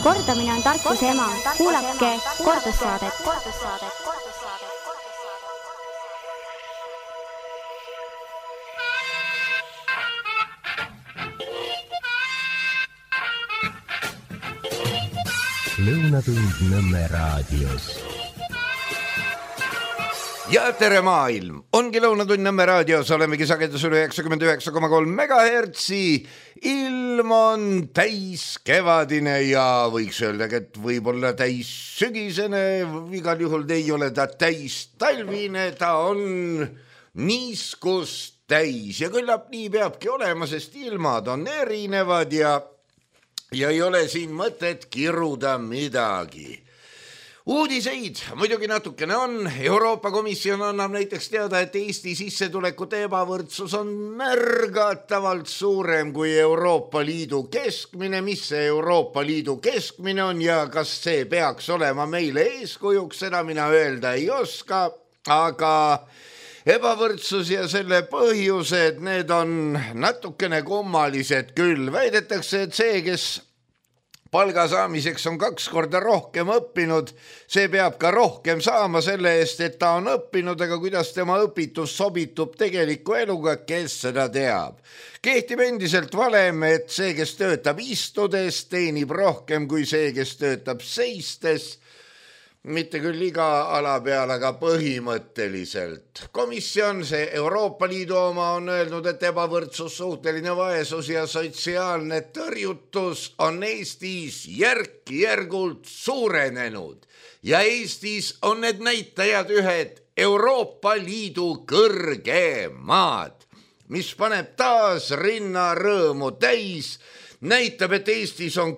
Kordamine on tarkuse ema. Kuulake kordussaadet. Lõunatund Nõmme raadios. Ja tere maailm! Ongi Lõunatund Nõmme raadios, olemegi sagedusel 99,3 megahertsi. Ilm on täis kevadine ja võiks öelda, et võib-olla täis sügisene, igal juhul ei ole ta täis talvine, ta on niiskust täis ja küllap nii peabki olema, sest ilmad on erinevad ja ei ole siin mõtet kiruda midagi. Uudiseid muidugi natukene on. Euroopa Komisjon annab näiteks teada, et Eesti sissetulekute ebavõrdsus on märgatavalt suurem kui Euroopa Liidu keskmine. Mis see Euroopa Liidu keskmine on ja kas see peaks olema meile eeskujuks, seda mina öelda ei oska, aga ebavõrdsus ja selle põhjused, need on natukene kummalised küll. Väidetakse, et see, kes palga saamiseks on 2 korda rohkem õppinud, see peab ka rohkem saama selle eest, et ta on õppinud, aga kuidas tema õpitus sobitub tegeliku eluga, kes seda teab. Kehtib endiselt valem, et see, kes töötab istudes, teenib rohkem kui see, kes töötab seistes. Mitte küll iga ala peal, aga põhimõtteliselt. Komisjon, see Euroopa Liidu oma, on öelnud, et ebavõrdsus, suhteline vaesus ja sotsiaalne tõrjutus on Eestis järk-järgult suurenenud. Ja Eestis on need näitajad ühed Euroopa Liidu kõrgemad, mis paneb taas rinna rõõmu täis. Näitab, et Eestis on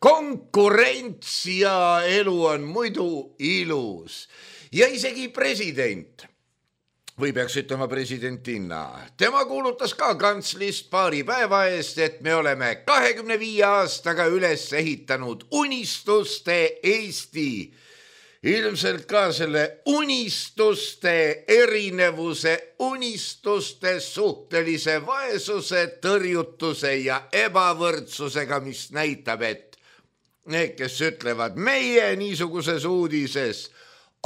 konkurents ja elu on muidu ilus. Ja isegi president, või peaks ütlema presidentina, tema kuulutas ka kantslist paari päeva eest, et me oleme 25 aastaga üles ehitanud unistuste Eesti. Ilmselt ka selle unistuste erinevuse, unistuste suhtelise vaesuse, tõrjutuse ja ebavõrdsusega, mis näitab, et need, kes ütlevad meie niisuguses uudises,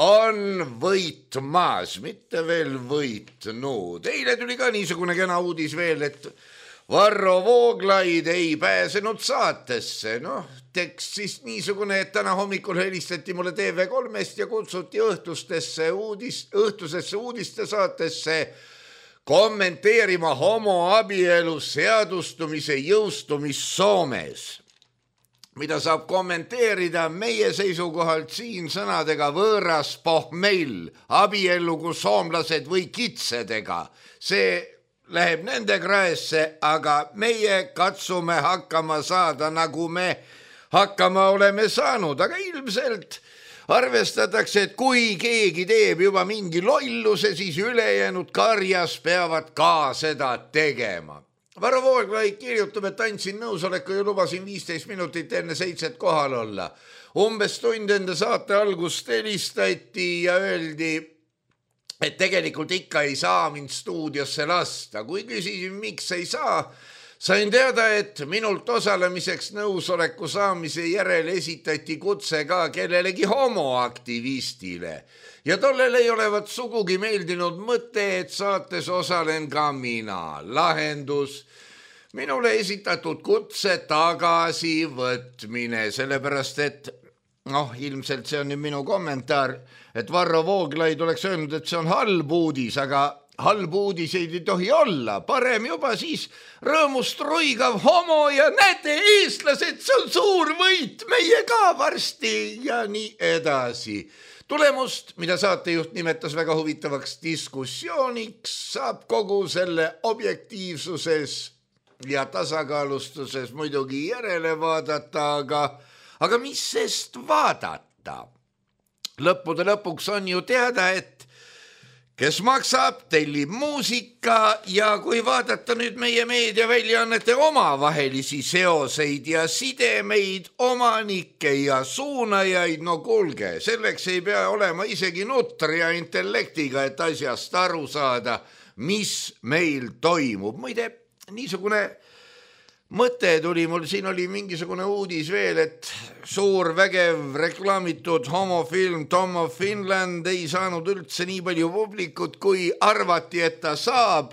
on võitmas, mitte veel võitnud. Eile tuli ka niisugune kena uudis veel, et Varro Vooglaid ei pääsenud saatesse. Tekst siis niisugune, et täna hommikul helistati mulle TV3-st ja kutsuti õhtusesse uudiste saatesse kommenteerima homoabielu seadustumise jõustumist Soomes. Mida saab kommenteerida meie seisukohalt siin sõnadega võõras pohmell, abiellu kui soomlased või kitsedega. See läheb nende kraesse, aga meie katsume hakkama saada, nagu me hakkama oleme saanud. Aga ilmselt arvestatakse, et kui keegi teeb juba mingi lolluse, siis ülejäänud karjas peavad ka seda tegema. Varro Vooglaid kirjutab, et andsin nõusoleku ja lubasin 15 minutit enne 7 kohal olla. Umbes tund enda saate algust helistati ja öeldi, et tegelikult ikka ei saa mind stuudiosse lasta. Kui küsisin, miks ei saa, sain teada, et minult osalemiseks nõusoleku saamise järel esitati kutse ka kellelegi homoaktivistile. Ja tollel ei olevat sugugi meeldinud mõte, et saates osalen ka mina. Lahendus, minule esitatud kutse tagasivõtmine, sellepärast et, ilmselt see on nüüd minu kommentaar, et Varro Vooglaid oleks öelnud, et see on halb uudis, aga halb uudiseid ei tohi olla. Parem juba siis rõõmust ruigav homo ja näete, eestlased, see on suur võit, meie ka varsti ja nii edasi. Tulemust, mida saatejuht nimetas väga huvitavaks diskussiooniks, saab kogu selle objektiivsuses ja tasakaalustuses muidugi järele vaadata, aga mis sest vaadata? Lõppude lõpuks on ju teada, et kes maksab, tellib muusika ja kui vaadata nüüd meie meediaväljaannete omavahelisi seoseid ja sidemeid, omanikke ja suunajaid, kuulge, selleks ei pea olema isegi nutria intellektiga, et asjast aru saada, mis meil toimub. Muide, niisugune mõte tuli mul, siin oli mingisugune uudis veel, et suur vägev reklaamitud homofilm Tom of Finland ei saanud üldse nii palju publikut, kui arvati, et ta saab.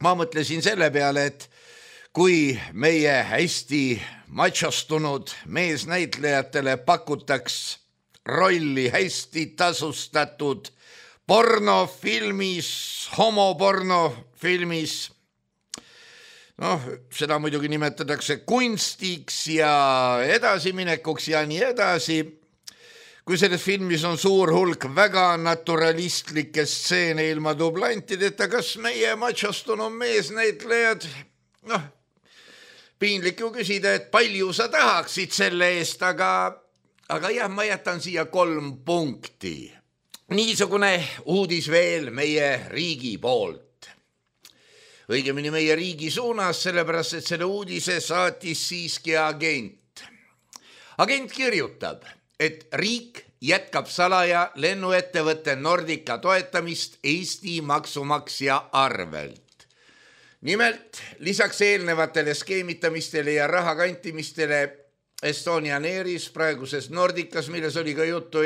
Ma mõtlesin selle peale, et kui meie hästi machostunud meesnäitlejatele pakutaks rolli hästi tasustatud pornofilmis, homopornofilmis, seda muidugi nimetatakse kunstiks ja edasiminekuks ja nii edasi. Kui selles filmis on suur hulk väga naturalistlikke stseene ilma dublantideta, kas meie machostunud meesnäitlejad, piinlik ju küsida, et palju sa tahaksid selle eest, aga jah, ma jätan siia 3 punkti. Niisugune uudis veel meie riigi poolt. Õigemini meie riigi suunas, sellepärast, et selle uudise saatis siiski agent. Agent kirjutab, et riik jätkab salaja lennuettevõtte Nordica toetamist Eesti maksumaksja arvelt. Nimelt, lisaks eelnevatele skeemitamistele ja raha kantimistele Estonian Airis, praeguses Nordicas, milles oli ka juttu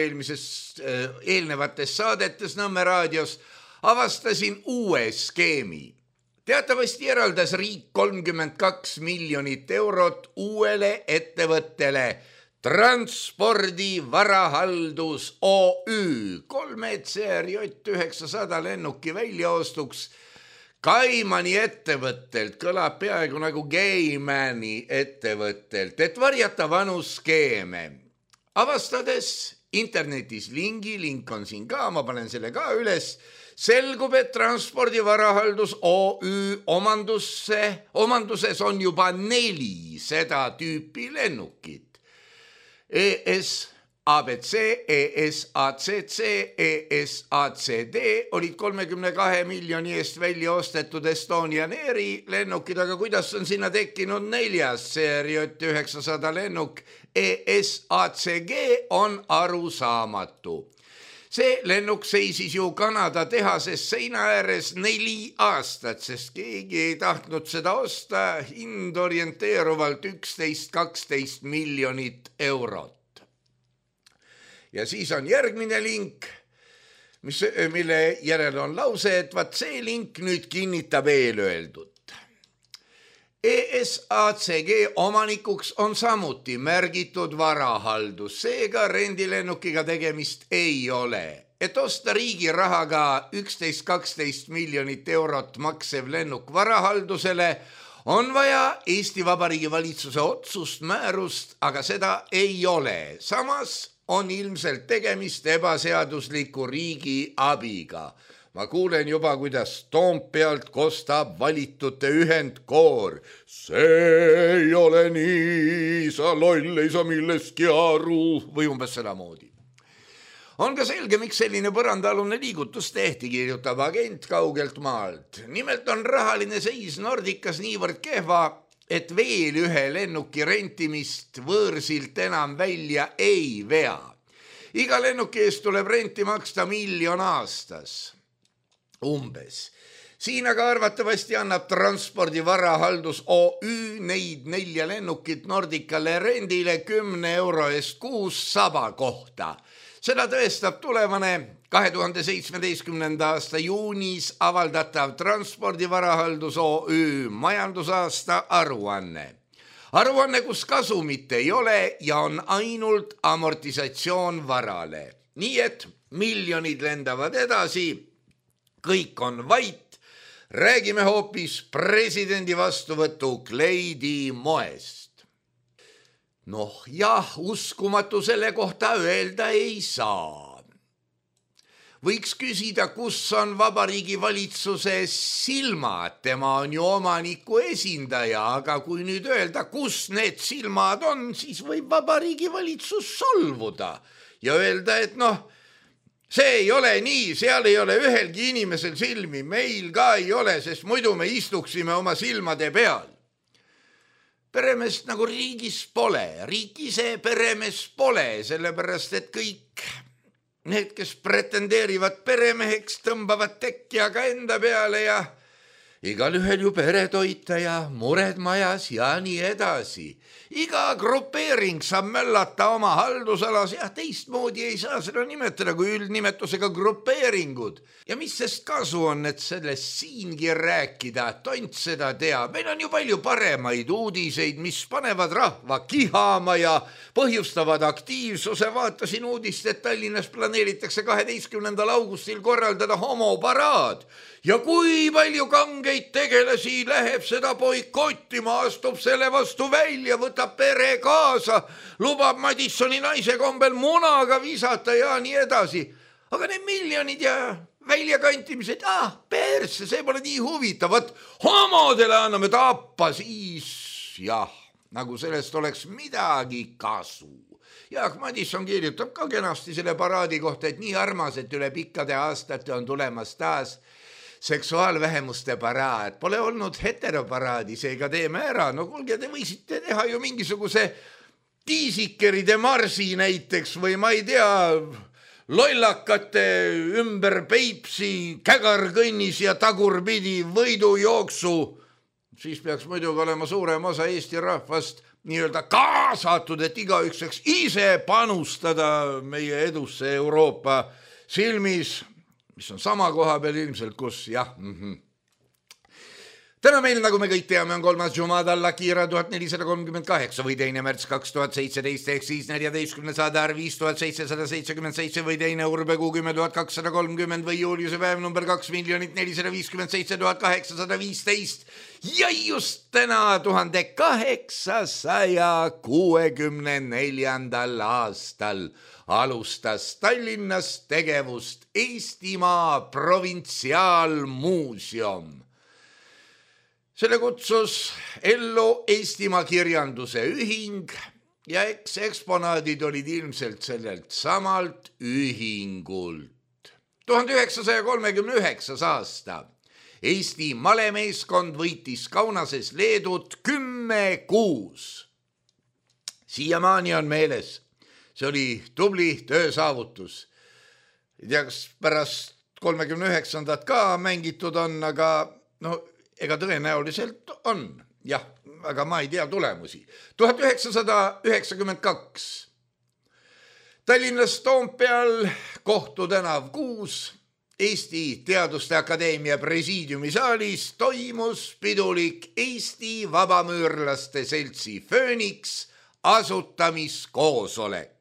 eelnevates saadetes Nõmme raadios, avastasin uue skeemi. Teatavasti eraldas riik 32 miljonit eurot uuele ettevõttele Transpordi Varahaldus OÜ 3 CRJ 900 lennuki väljaostuks Kaimani ettevõttelt, kõlab peaaegu nagu Gaimani ettevõttelt, et varjata vanu skeeme. Avastades internetis link on siin ka, ma panen selle ka üles, selgub, et Transpordi Varahaldus OÜ omanduses on juba 4 seda tüüpi lennukit. ES ABC, ESACC, ESACD olid 32 miljoni eest välja ostetud Estonian Airi lennukid, aga kuidas on sinna tekkinud 4. CRJ 900 lennuk ESACG on arusaamatu. See lennuk seisis ju Kanada tehases seina ääres 4 aastat, sest keegi ei tahtnud seda osta, hind orienteeruvalt 11-12 miljonit eurot. Ja siis on järgmine link, mille järel on lause, et vaat see link nüüd kinnitab eelöeldut. ESACG omanikuks on samuti märgitud varahaldus, seega rendilennukiga tegemist ei ole. Et osta riigi rahaga 11-12 miljonit eurot maksev lennuk varahaldusele, on vaja Eesti Vabariigi valitsuse otsust, määrust, aga seda ei ole. Samas on ilmselt tegemist ebaseadusliku riigi abiga. Ma kuulen juba, kuidas Toompealt kostab valitute ühendkoor. See ei ole nii, sa loll ei saa millestki aru, või umbes seda moodi. On ka selge, miks selline põrandaalune liigutus tehti, kirjutab agent kaugelt maalt. Nimelt on rahaline seis Nordicas niivõrd kehva, et veel ühe lennuki rentimist võõrsilt enam välja ei vea. Iga lennuki eest tuleb renti maksta 1 miljon aastas. Umbes. Siin aga arvatavasti annab Transpordi Varahaldus OÜ neid 4 lennukit Nordicale rendile 10 euro eest kuus saba kohta. Seda tõestab tulevane 2017. aasta juunis avaldatav Transpordi Varahaldus OÜ majandusaasta aruanne. Aruanne, kus kasumit ei ole ja on ainult amortisatsioon varale. Nii et miljonid lendavad edasi, kõik on vait, räägime hoopis presidendi vastuvõtu kleidi moest. Jah, uskumatu selle kohta öelda ei saa. Võiks küsida, kus on Vabariigi valitsuse silmad, tema on ju omaniku esindaja, aga kui nüüd öelda, kus need silmad on, siis võib Vabariigi valitsus solvuda ja öelda, et see ei ole nii, seal ei ole ühelgi inimesel silmi, meil ka ei ole, sest muidu me istuksime oma silmade peal. Peremeest nagu riigis pole, riik ise peremees pole, sellepärast et kõik need, kes pretendeerivad peremeheks, tõmbavad tekja ka enda peale ja igal ühel ju peretoitaja, mured majas ja nii edasi. Iga grupeering saab möllata oma haldusalas ja teistmoodi ei saa seda nimetada kui üldnimetusega grupeeringud. Ja mis sest kasu on, et sellest siingi rääkida, tont seda teab. Meil on ju palju paremaid uudiseid, mis panevad rahva kihama ja põhjustavad aktiivsuse. Vaatasin uudist, et Tallinnas planeeritakse 12. augustil korraldada homoparaad. Ja kui palju kangeid tegelasi läheb seda boikottima, astub selle vastu välja, võtab pere kaasa, lubab Madissoni naise kombel munaga visata ja nii edasi. Aga need miljonid ja väljakantimised, persse, see pole nii huvitavat. Homodele anname tappa, siis jah, nagu sellest oleks midagi kasu. Jaak Madisson kirjutab ka kenasti selle paraadi kohta, et nii armas, et üle pikkade aastate on tulemas taas seksuaalvähemuste paraad. Pole olnud heteroparaadi, seega teeme ära. No kuulge, te võisite teha ju mingisuguse tiisikeride marsi näiteks või ma ei tea, lollakate ümber Peipsi kägarkõnnis ja tagurpidi võidujooksu. Siis peaks muidugi olema suurem osa Eesti rahvast nii-öelda kaasatud, et igaüks saaks ise panustada meie edusse Euroopa silmis, mis on sama koha peal ilmselt, kus jah. Täna meil, nagu me kõik teame, on 3. Jumada Lakira 1438 või 2. märts 2017 ehk siis 14. Sadar 5777 või 2. Urbekuu 10.230 või Juliuse päev number 2,457,815 ja just täna 1864. aastal alustas Tallinnas tegevust Eestimaa provintsiaalmuuseum. Selle kutsus ellu Eestimaa kirjanduse ühing ja eksponaadid olid ilmselt sellelt samalt ühingult. 1939. aasta Eesti malemeeskond võitis Kaunases Leedut 10-6. Siiamaani on meeles. See oli tubli töösaavutus. Ei tea, kas pärast 39. ka mängitud on, aga ega tõenäoliselt on. Jah, aga ma ei tea tulemusi. 1992. Tallinnas Toompeal Kohtu tänav 6 Eesti Teaduste Akadeemia presiidiumi saalis toimus pidulik Eesti Vabamüürlaste Seltsi Fööniks asutamiskoosolek.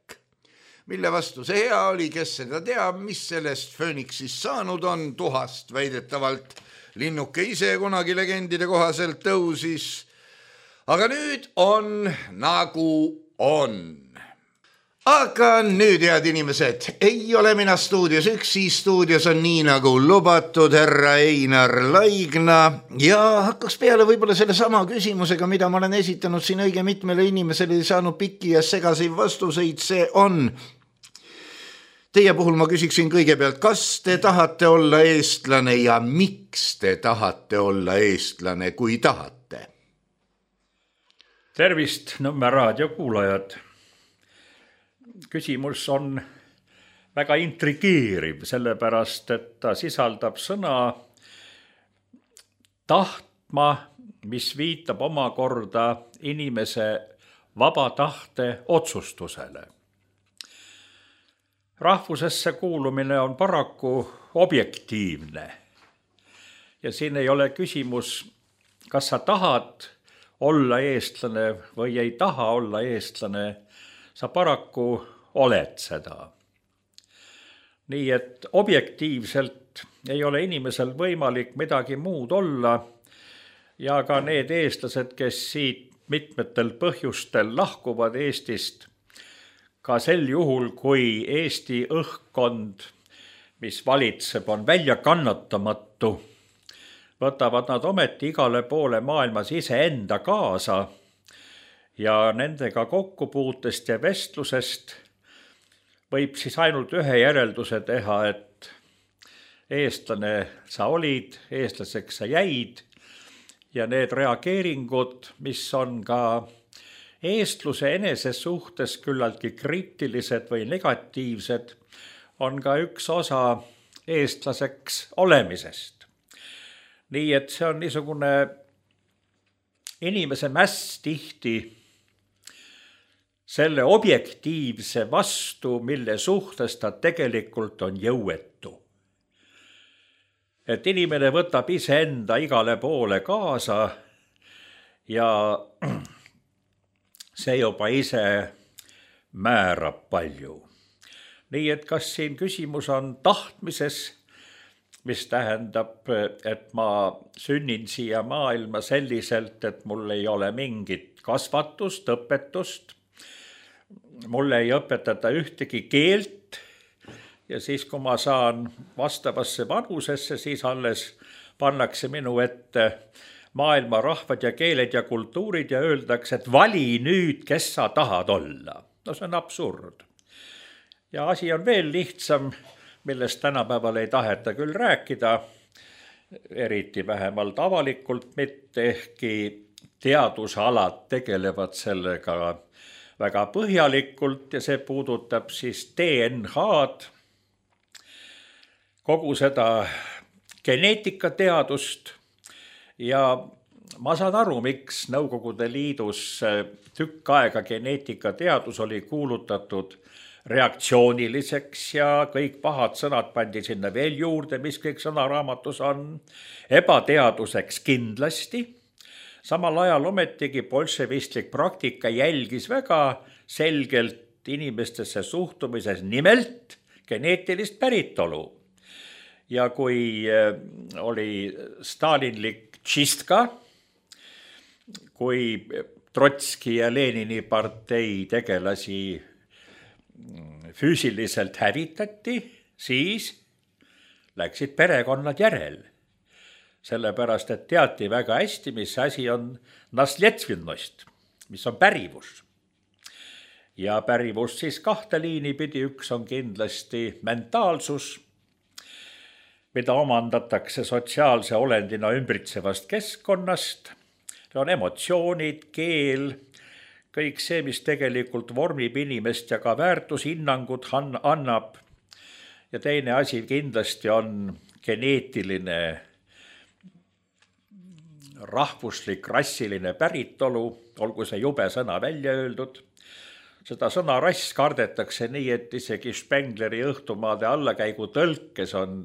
Mille vastu see hea oli, kes seda teab, mis sellest Fööniksist saanud on, tuhast väidetavalt linnuke ise kunagi legendide kohaselt tõusis. Aga nüüd on nagu on. Aga nüüd, head inimesed, ei ole mina stuudios üksi, stuudios on nii nagu lubatud härra Einar Laigna ja hakkaks peale võib-olla selle sama küsimusega, mida ma olen esitanud siin õige mitmele inimesele ja saanud pikki ja segaseid vastuseid, see on. Teie puhul ma küsiksin kõigepealt, kas te tahate olla eestlane ja miks te tahate olla eestlane, kui tahate? Tervist, Nõmme raadio kuulajad. Küsimus on väga intrigeeriv, sellepärast, et ta sisaldab sõna tahtma, mis viitab omakorda inimese vaba tahte otsustusele. Rahvusesse kuulumine on paraku objektiivne ja siin ei ole küsimus, kas sa tahad olla eestlane või ei taha olla eestlane, sa paraku oled seda. Nii et objektiivselt ei ole inimesel võimalik midagi muud olla ja ka need eestlased, kes siit mitmetel põhjustel lahkuvad Eestist, ka sel juhul, kui Eesti õhkkond, mis valitseb, on välja kannatamatu, võtavad nad ometi igale poole maailmas iseenda kaasa ja nendega kokkupuutest ja vestlusest võib siis ainult ühe järelduse teha, et eestlane sa olid, eestlaseks sa jäid ja need reageeringud, mis on ka eestluse enese suhtes küllaltki kriitilised või negatiivsed, on ka üks osa eestlaseks olemisest. nii et see on niisugune inimese mäss tihti selle objektiivse vastu, mille suhtes ta tegelikult on jõuetu. Et inimene võtab iseenda igale poole kaasa ja see juba ise määrab palju. Nii et kas siin küsimus on tahtmises, mis tähendab, et ma sünnin siia maailma selliselt, et mul ei ole mingit kasvatust, õpetust, mulle ei õpetata ühtegi keelt ja siis, kui ma saan vastavasse vanusesse, siis alles pannakse minu ette maailma rahvad ja keeled ja kultuurid ja öeldakse, et vali nüüd, kes sa tahad olla. No see on absurd. Ja asi on veel lihtsam, millest tänapäeval ei taheta küll rääkida, eriti vähemalt avalikult mitte, ehkki teadusalad tegelevad sellega väga põhjalikult ja see puudutab siis DNH-d, kogu seda geneetikateadust ja ma saan aru, miks Nõukogude Liidus tükk aega geneetikateadus oli kuulutatud reaktsiooniliseks ja kõik pahad sõnad pandi sinna veel juurde, mis kõik sõnaraamatus on, ebateaduseks kindlasti. Samal ajal ometigi bolševistlik praktika jälgis väga selgelt inimestesse suhtumises nimelt geneetilist päritolu. Ja kui oli stalinlik tšistka, kui Trotski ja Lenini partei tegelasi füüsiliselt hävitati, siis läksid perekonnad järel. Sellepärast, et teati väga hästi, mis asi on nasljetvinnost, mis on pärivus. Ja pärivus siis kahte liini pidi, üks on kindlasti mentaalsus, mida omandatakse sotsiaalse olendina ümbritsevast keskkonnast. See on emotsioonid, keel, kõik see, mis tegelikult vormib inimest ja ka väärtushinnangud annab. Ja teine asi kindlasti on geneetiline, rahvuslik, rassiline päritolu, olgu see jube sõna välja öeldud. Seda sõna rass kardetakse nii, et isegi Spengleri õhtumaade allakäigu tõlkes on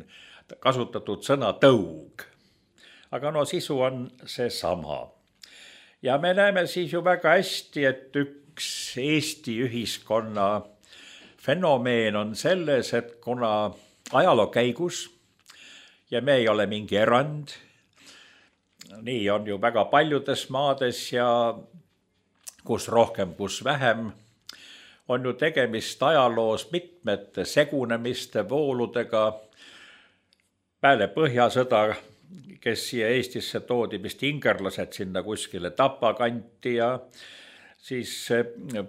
kasutatud sõna tõug. Aga no sisu on see sama. Ja me näeme siis ju väga hästi, et üks Eesti ühiskonna fenomeen on selles, et kuna ajaloo käigus, ja me ei ole mingi erand, nii on ju väga paljudes maades ja kus rohkem, kus vähem, on ju tegemist ajaloos mitmete segunemiste vooludega. Peale Põhjasõda, kes siia Eestisse toodi, vist ingerlased sinna kuskile Tapa kanti ja siis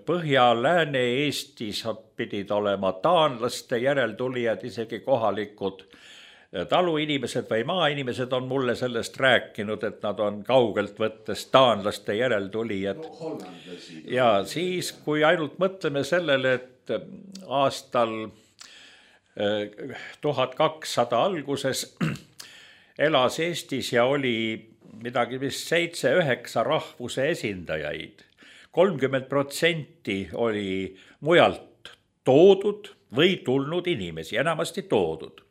Põhja-Lääne Eestis pidid olema taanlaste järeltulijad, isegi kohalikud taluinimesed või maainimesed on mulle sellest rääkinud, et nad on kaugelt võttes taanlaste järeltulijad. Ja siis, kui ainult mõtleme sellele, et aastal 1200 alguses elas Eestis ja oli midagi vist 7-9 rahvuse esindajaid. 30% oli mujalt toodud või tulnud inimesi, enamasti toodud.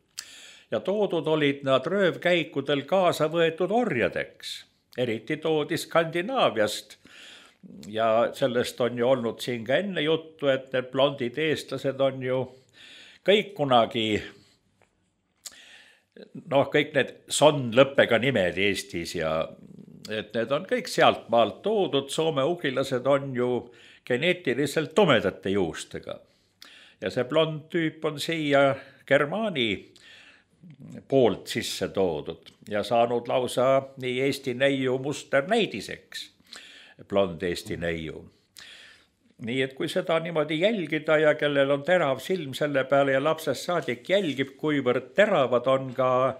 Ja toodud olid nad röövkäikudel kaasa võetud orjadeks. Eriti toodi Skandinaaviast. Ja sellest on ju olnud siin ka enne juttu, et need blondid eestlased on ju kõik kunagi, kõik need son-lõppega nimed Eestis ja et need on kõik sealt maalt toodud, soome-ugrilased on ju geneetiliselt tumedate juustega. Ja see blond tüüp on siia Germaani poolt sisse toodud ja saanud lausa nii Eesti neiu musternäidiseks, blond Eesti neiu. Nii et kui seda niimoodi jälgida ja kellel on terav silm selle peale ja lapsest saadik jälgib, kuivõrd teravad on ka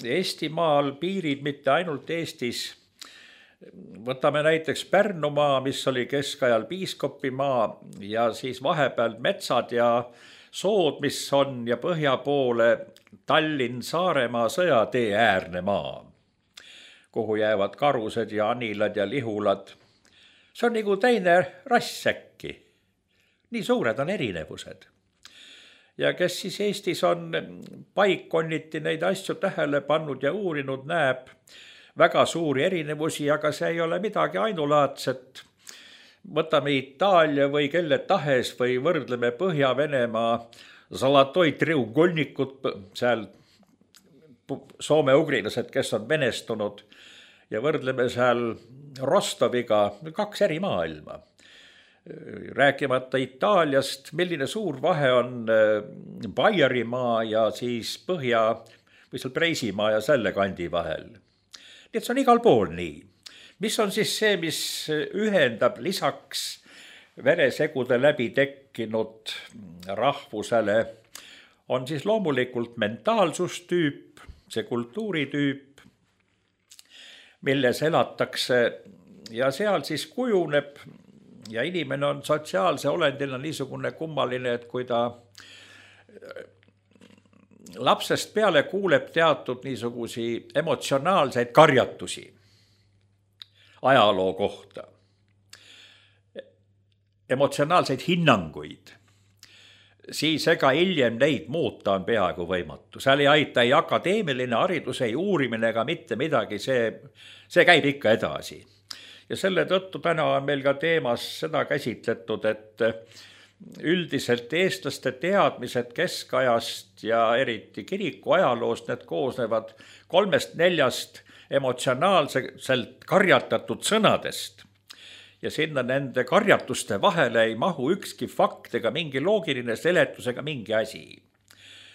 Eestimaal piirid, mitte ainult Eestis. Võtame näiteks Pärnumaa, mis oli keskajal piiskopimaa ja siis vahepeal metsad ja sood, mis on ja põhja poole Tallinn-Saaremaa sõjatee äärne maa. kuhu jäävad karused ja anilad ja lihulad. See on nagu teine rass äkki. Nii suured on erinevused. Ja kes siis Eestis on paikkonniti neid asju tähele pannud ja uurinud, näeb väga suuri erinevusi, aga see ei ole midagi ainulaadset. Võtame Itaalia või kelle tahes või võrdleme Põhja-Venemaa Zlatoi triugolnikut, seal soome-ugrilased, kes on venestunud, ja võrdleme seal Rostoviga, 2 eri maailma. Rääkimata Itaaliast, milline suur vahe on Baierimaa ja siis Põhja- või seal Preisimaa ja selle kandi vahel. Nii et see on igal pool nii. Mis on siis see, mis ühendab lisaks veresegude läbi tekkinud rahvusele, on siis loomulikult mentaalsustüüp, see kultuuritüüp, milles elatakse ja seal siis kujuneb ja inimene on sotsiaalse olendina niisugune kummaline, et kui ta lapsest peale kuuleb teatud niisugusi emotsionaalseid karjatusi ajaloo kohta, emotsionaalseid hinnanguid, siis ega hiljem neid muuta on peaaegu võimatu. Seal ei aita ei akadeemiline haridus, ei uurimine ega mitte midagi, see käib ikka edasi. Ja selle tõttu täna on meil ka teemas seda käsitletud, et üldiselt eestlaste teadmised keskajast ja eriti kiriku ajaloost, need koosnevad 3-4 emotsionaalselt karjatatud sõnadest. Ja sinna nende karjatuste vahele ei mahu ükski fakt ega mingi loogiline seletus ega mingi asi.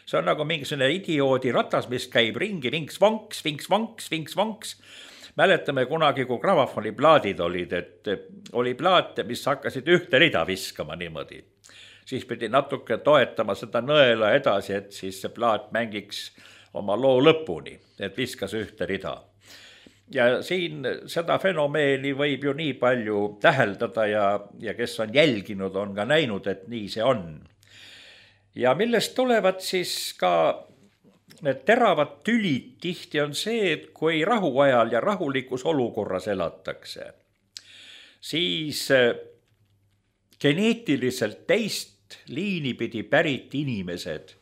See on nagu mingisugune idioodi ratas, mis käib ringi, vinks-vanks, vinks-vanks, vinks-vanks. Mäletame kunagi, kui gramofoniplaadid olid, et oli plaate, mis hakkasid ühte rida viskama niimoodi. Siis pidi natuke toetama seda nõela edasi, et siis see plaat mängiks oma loo lõpuni, et viskas ühte rida. Ja siin seda fenomeeni võib ju nii palju täheldada ja kes on jälginud, on ka näinud, et nii see on. Ja millest tulevad siis ka need teravad tülid tihti on see, et kui rahuajal ja rahulikus olukorras elatakse, siis geneetiliselt teist liini pidi pärit inimesed,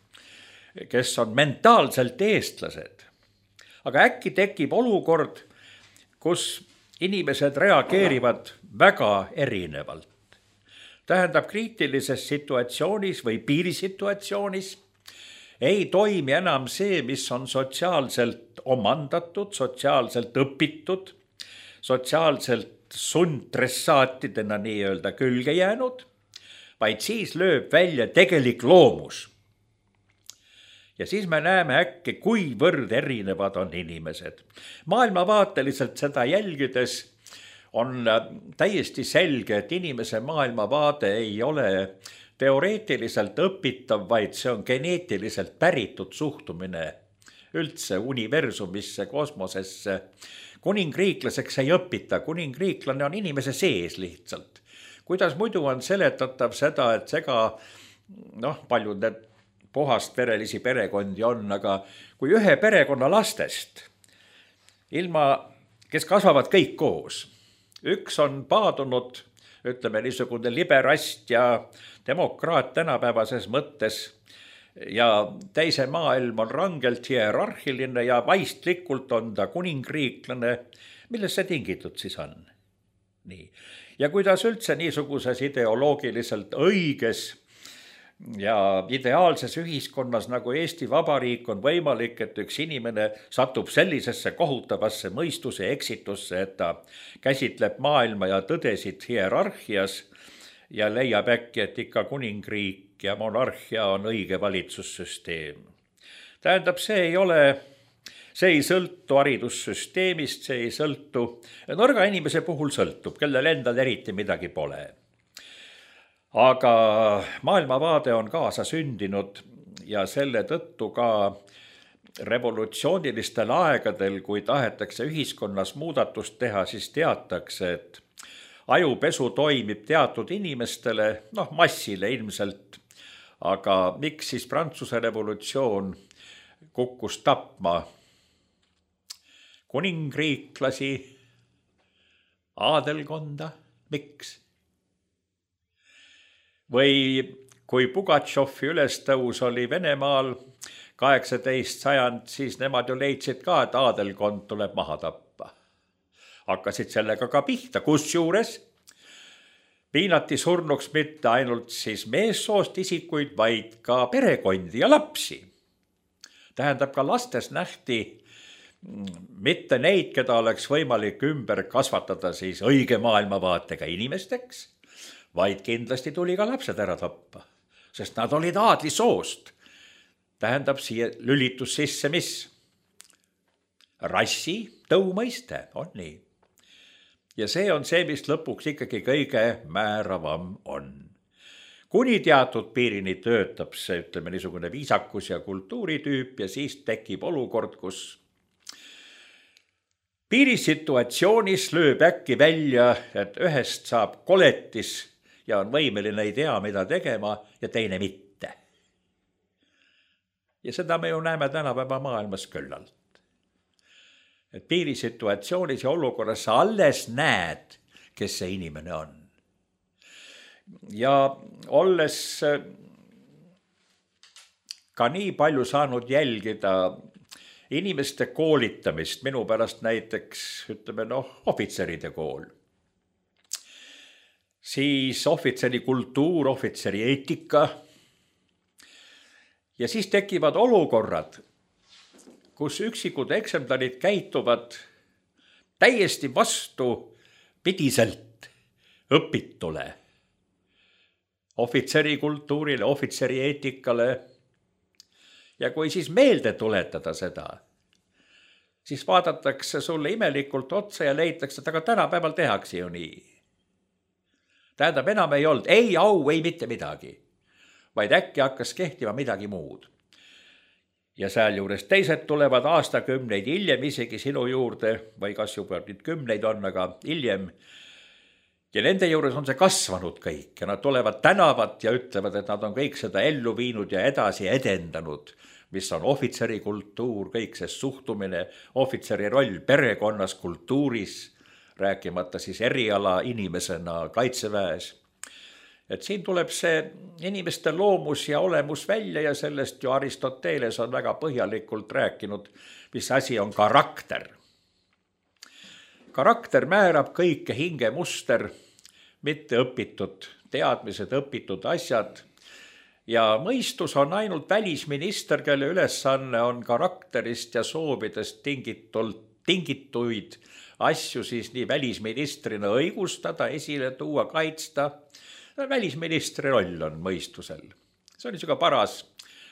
kes on mentaalselt eestlased. Aga äkki tekib olukord, kus inimesed reageerivad väga erinevalt. Tähendab, kriitilises situatsioonis või piirisituatsioonis ei toimi enam see, mis on sotsiaalselt omandatud, sotsiaalselt õpitud, sotsiaalselt sundtressaatidena nii-öelda külge jäänud, vaid siis lööb välja tegelik loomus. Ja siis me näeme äkki, kuivõrd erinevad on inimesed. Maailmavaateliselt seda jälgides on täiesti selge, et inimese maailmavaade ei ole teoreetiliselt õpitav, vaid see on geneetiliselt päritud suhtumine üldse universumisse, kosmosesse. Kuningriiklaseks ei õpita, kuningriiklane on inimese sees lihtsalt. Kuidas muidu on seletatav seda, et paljud need puhast verelisi perekondi on, aga kui ühe perekonna lastest, kes kasvavad kõik koos, üks on paadunud, ütleme niisugune liberast ja demokraat tänapäevases mõttes ja teise maailm on rangelt hierarhiline ja vaistlikult on ta kuningriiklane, milles see tingitud siis on? Nii. Ja kuidas üldse niisuguses ideoloogiliselt õiges ja ideaalses ühiskonnas nagu Eesti Vabariik on võimalik, et üks inimene satub sellisesse kohutavasse mõistuse eksitusse, et ta käsitleb maailma ja tõdesid hierarhias ja leiab äkki, et ikka kuningriik ja monarhia on õige valitsussüsteem. Tähendab, see ei sõltu haridussüsteemist, see ei sõltu, nõrga inimese puhul sõltub, kellel endal eriti midagi pole. Aga maailmavaade on kaasa sündinud ja selle tõttu ka revolutsioonilistel aegadel, kui tahetakse ühiskonnas muudatust teha, siis teatakse, et ajupesu toimib teatud inimestele, massile ilmselt, aga miks siis Prantsuse revolutsioon kukkus tapma kuningriiklasi, aadelkonda, miks? Või kui Pugatšovi ülestõus oli Venemaal 18. sajand, siis nemad ju leidsid ka, et aadelkond tuleb maha tappa. Hakkasid sellega ka pihta, kusjuures piinati surnuks mitte ainult siis meessoost isikuid, vaid ka perekondi ja lapsi. Tähendab, ka lastes nähti mitte neid, keda oleks võimalik ümber kasvatada siis õige maailmavaatega inimesteks, vaid kindlasti tuli ka lapsed ära tappa, sest nad olid aadlisoost. Tähendab, siia lülitus sisse mis? Rassi tõumõiste, on nii. Ja see on see, mis lõpuks ikkagi kõige määravam on. Kuni teatud piirini töötab see, ütleme, niisugune viisakus ja kultuuritüüp ja siis tekib olukord, kus piirisituatsioonis lööb äkki välja, et ühest saab koletis ja on võimeline ei tea, mida tegema ja teine mitte. Ja seda me ju näeme tänapäeva maailmas küllalt. Et piirisituatsioonis ja olukorras sa alles näed, kes see inimene on. Ja olles ka nii palju saanud jälgida inimeste koolitamist, minu pärast näiteks, ütleme, ohvitseride kool, siis ohvitseri kultuur, ohvitseri eetika ja siis tekivad olukorrad, kus üksikud eksemplarid käituvad täiesti vastupidiselt õpitule, ohvitseri kultuurile, ohvitseri eetikale. Ja kui siis meelde tuletada seda, siis vaadatakse sulle imelikult otsa ja leitakse, et aga tänapäeval tehakse ju nii. Tähendab, enam ei olnud ei au, ei mitte midagi, vaid äkki hakkas kehtima midagi muud. Ja sealjuures teised tulevad aastakümneid hiljem isegi sinu juurde, või kas juba nüüd 10 on, aga hiljem. Ja nende juures on see kasvanud kõik ja nad tulevad tänavat ja ütlevad, et nad on kõik seda ellu viinud ja edasi edendanud, mis on ohvitseri kultuur, kõik see suhtumine, ohvitseri roll perekonnas, kultuuris, rääkimata siis eriala inimesena kaitseväes. Et siin tuleb see inimeste loomus ja olemus välja ja sellest ju Aristoteles on väga põhjalikult rääkinud, mis asi on karakter. Karakter määrab kõike hingemuster, mitte õpitud teadmised, õpitud asjad. Ja mõistus on ainult välisminister, kelle ülesanne on karakterist ja soovidest tingituid asju siis nii välisministrina õigustada, esile tuua, kaitsta. Välisministri roll on mõistusel. See on niisugune paras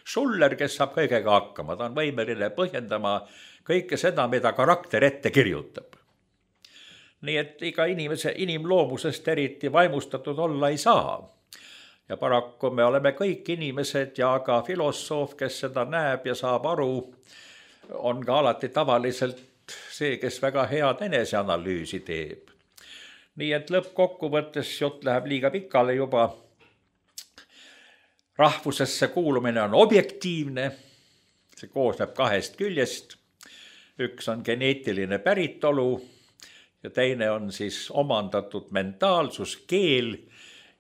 Schuller, kes saab kõigega hakkama. Ta on võimeline põhjendama kõike seda, mida karakter ette kirjutab. Nii et iga inimese inimloomusest eriti vaimustatud olla ei saa. Ja paraku me oleme kõik inimesed ja ka filosoof, kes seda näeb ja saab aru, on ka alati tavaliselt see, kes väga head eneseanalüüsi teeb. Nii et lõppkokkuvõttes jutt läheb liiga pikale juba. Rahvusesse kuulumine on objektiivne, see koosneb 2 küljest. Üks on geneetiline päritolu ja teine on siis omandatud mentaalsus, keel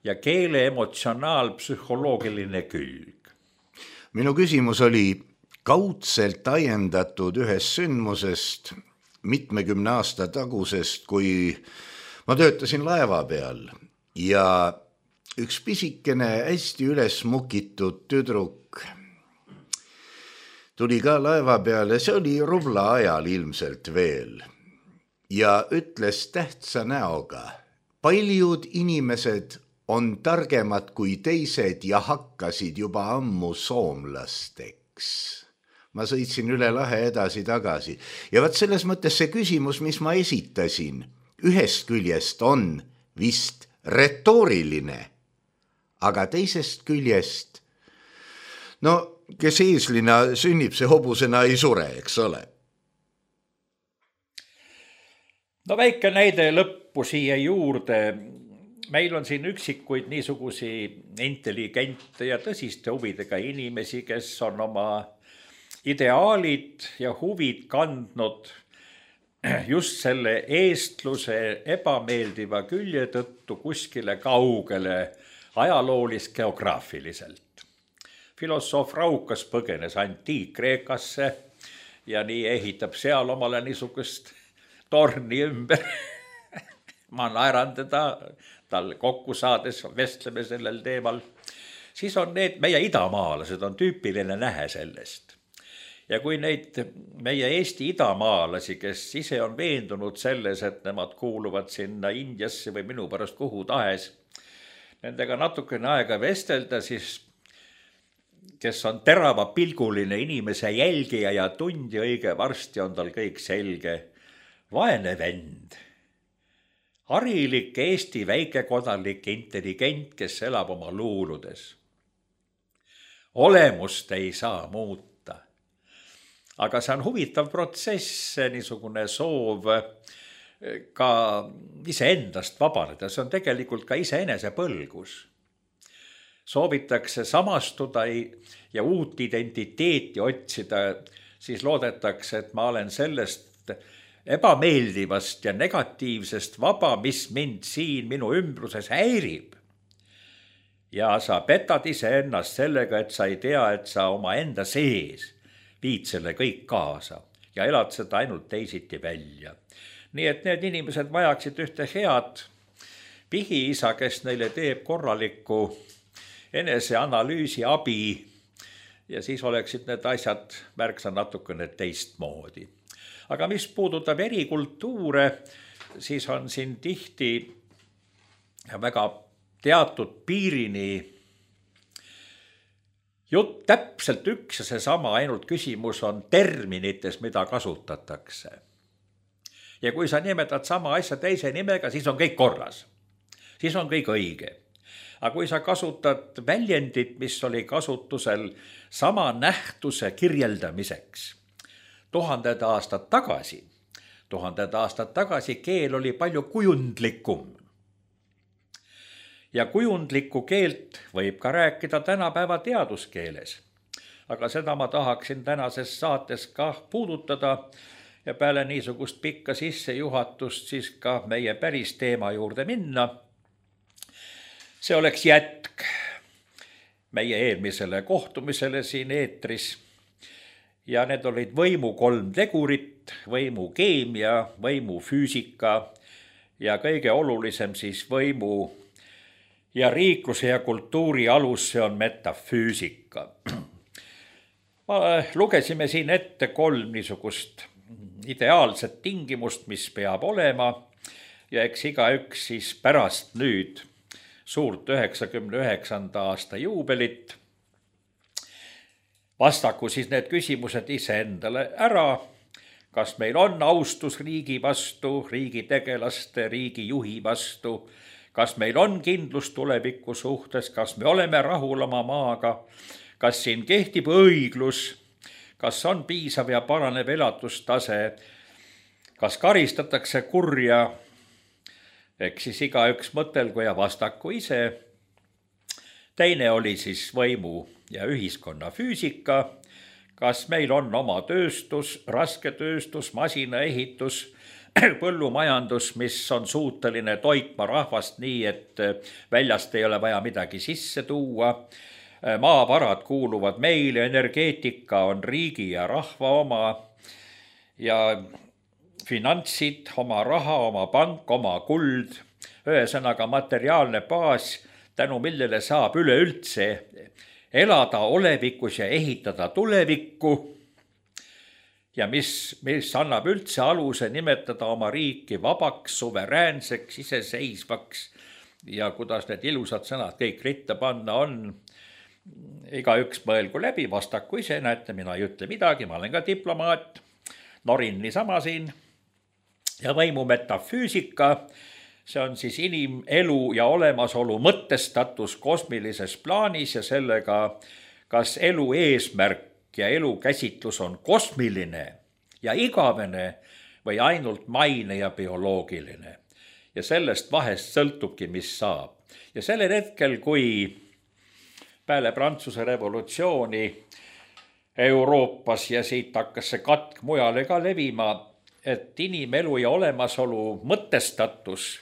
ja keele emotsionaal-psühholoogiline külg. Minu küsimus oli kaudselt ajendatud ühest sündmusest mitmekümne aasta tagusest, kui ma töötasin laeva peal ja üks pisikene hästi üles mukitud tüdruk tuli ka laeva peale, see oli rubla ajal ilmselt veel, ja ütles tähtsa näoga: paljud inimesed on targemad kui teised ja hakkasid juba ammu soomlasteks. Ma sõitsin üle lahe edasi-tagasi ja vaat selles mõttes see küsimus, mis ma esitasin, ühest küljest on vist retooriline, aga teisest küljest, kes eeslina sünnib, see hobusena ei sure, eks ole. Väike näide lõppu siia juurde. Meil on siin üksikuid niisugusi intelligente ja tõsiste huvidega inimesi, kes on oma ideaalid ja huvid kandnud just selle eestluse ebameeldiva külje tõttu kuskile kaugele ajaloolis-geograafiliselt. Filosoof Raukas põgenes Antiik-Kreekasse ja nii ehitab seal omale niisugust torni ümber. Ma naeran teda, tal kokku saades vestleme sellel teemal. Siis on need meie idamaalased, on tüüpiline nähe sellest. Ja kui neid meie Eesti idamaalasi, kes ise on veendunud selles, et nemad kuuluvad sinna Indiasse või minu pärast kuhu tahes, nendega natukene aega vestelda, siis kes on teravapilguline inimese jälgija ja tundi õige varsti on tal kõik selge. Vaene vend, harilik Eesti väikekodanlik intelligent, kes elab oma luuludes. Olemust ei saa muuta. Aga see on huvitav protsess, niisugune soov ka iseendast vabaneda. See on tegelikult ka iseenese põlgus. Soovitakse samastuda ja uut identiteeti otsida, siis loodetakse, et ma olen sellest ebameeldivast ja negatiivsest vaba, mis mind siin minu ümbruses häirib. Ja sa petad iseennast sellega, et sa ei tea, et sa oma enda sees viid selle kõik kaasa ja elad seda ainult teisiti välja. Nii et need inimesed vajaksid ühte head pihiisa, kes neile teeb korralikku eneseanalüüsi abi ja siis oleksid need asjad märksa natukene teistmoodi. Aga mis puudutab erikultuure, siis on siin tihti väga teatud piirini jutt täpselt üks ja seesama, ainult küsimus on terminites, mida kasutatakse. Ja kui sa nimetad sama asja teise nimega, siis on kõik korras. Siis on kõik õige. Aga kui sa kasutad väljendit, mis oli kasutusel sama nähtuse kirjeldamiseks 1000 aastat tagasi keel oli palju kujundlikum. Ja kujundlikku keelt võib ka rääkida tänapäeva teaduskeeles. Aga seda ma tahaksin tänases saates ka puudutada ja peale niisugust pikka sissejuhatust siis ka meie päris teema juurde minna. See oleks jätk meie eelmisele kohtumisele siin eetris ja need olid võimu 3 tegurit, võimu keemia, võimu füüsika ja kõige olulisem siis võimu ja riikluse ja kultuuri alus, see on metafüüsika. Lugesime siin ette 3 niisugust ideaalset tingimust, mis peab olema ja eks igaüks siis pärast nüüd suurt 99. aasta juubelit vastaku siis need küsimused iseendale ära, kas meil on austus riigi vastu, riigi tegelaste, riigi juhi vastu, kas meil on kindlus tuleviku suhtes, kas me oleme rahul oma maaga, kas siin kehtib õiglus, kas on piisav ja paranev elatustase, kas karistatakse kurja, eks siis igaüks mõtelgu ja vastaku ise. Teine oli siis võimu ja ühiskonna füüsika, kas meil on oma tööstus, rasketööstus, masinaehitus, põllumajandus, mis on suuteline toitma rahvast nii, et väljast ei ole vaja midagi sisse tuua. Maavarad kuuluvad meile, energeetika on riigi ja rahva oma ja finantsid, oma raha, oma pank, oma kuld, ühesõnaga materiaalne baas, tänu millele saab üleüldse elada olevikus ja ehitada tulevikku ja mis annab üldse aluse nimetada oma riiki vabaks, suveräänseks, iseseisvaks ja kuidas need ilusad sõnad kõik ritta panna on. Igaüks mõelgu läbi, vastaku ise, näete, mina ei ütle midagi, ma olen ka diplomaat, norin niisama siin. Ja võimu metafüüsika, see on siis inimelu ja olemasolu mõtestatus kosmilises plaanis ja sellega, kas elu eesmärk ja elu käsitlus on kosmiline ja igavene või ainult maine ja bioloogiline. Ja sellest vahest sõltubki, mis saab. Ja sellel hetkel, kui peale Prantsuse revolutsiooni Euroopas ja siit hakkas see katk mujale ka levima, et inimelu ja olemasolu mõtestatus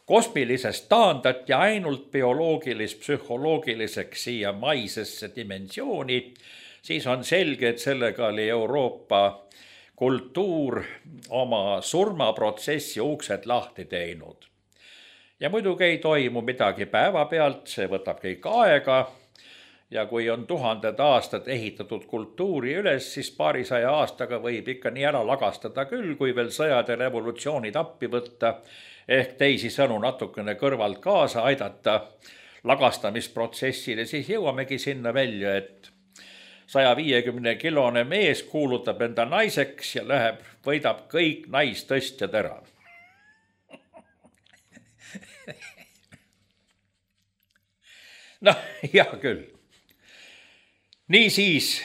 kosmilisest taandati ainult bioloogilis-psühholoogiliseks siia maisesse dimensiooni, siis on selge, et sellega oli Euroopa kultuur oma surmaprotsessi uksed lahti teinud. Ja muidugi ei toimu midagi päevapealt, see võtab kõik aega ja kui on 1000 aastat ehitatud kultuuri üles, siis paarisaja aastaga võib ikka nii ära lagastada küll, kui veel sõjad ja revolutsioonid appi võtta, ehk teisisõnu natukene kõrvalt kaasa aidata lagastamisprotsessile, siis jõuamegi sinna välja, et 150-kilone mees kuulutab enda naiseks ja võidab kõik naistõstjad ära. Noh, hea küll. Niisiis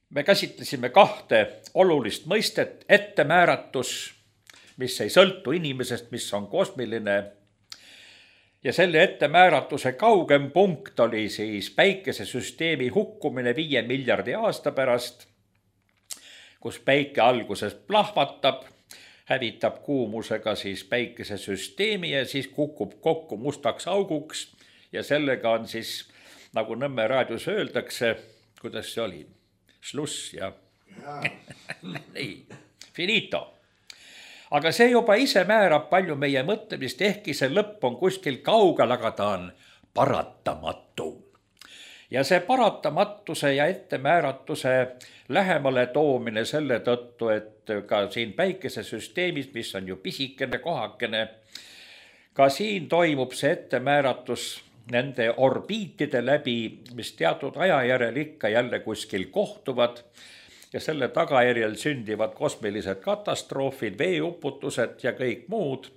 me käsitlesime 2 olulist mõistet, ettemääratus, mis ei sõltu inimesest, mis on kosmiline, ja selle ettemääratuse kaugem punkt oli siis päikesesüsteemi hukkumine 5 miljardi aasta pärast, kus päike alguses plahvatab, hävitab kuumusega siis päikesesüsteemi ja siis kukub kokku mustaks auguks ja sellega on siis, nagu Nõmme raadios öeldakse, kuidas see oli, sluss ja nii, finito. Aga see juba ise määrab palju meie mõtlemist, ehkki see lõpp on kuskil kaugel, aga ta on paratamatu. Ja see paratamatuse ja ettemääratuse lähemale toomine selle tõttu, et ka siin päikesesüsteemis, mis on ju pisikene kohakene, ka siin toimub see ettemääratus nende orbiitide läbi, mis teatud aja järel ikka jälle kuskil kohtuvad ja selle tagajärjel sündivad kosmilised katastroofid, veeuputused ja kõik muud,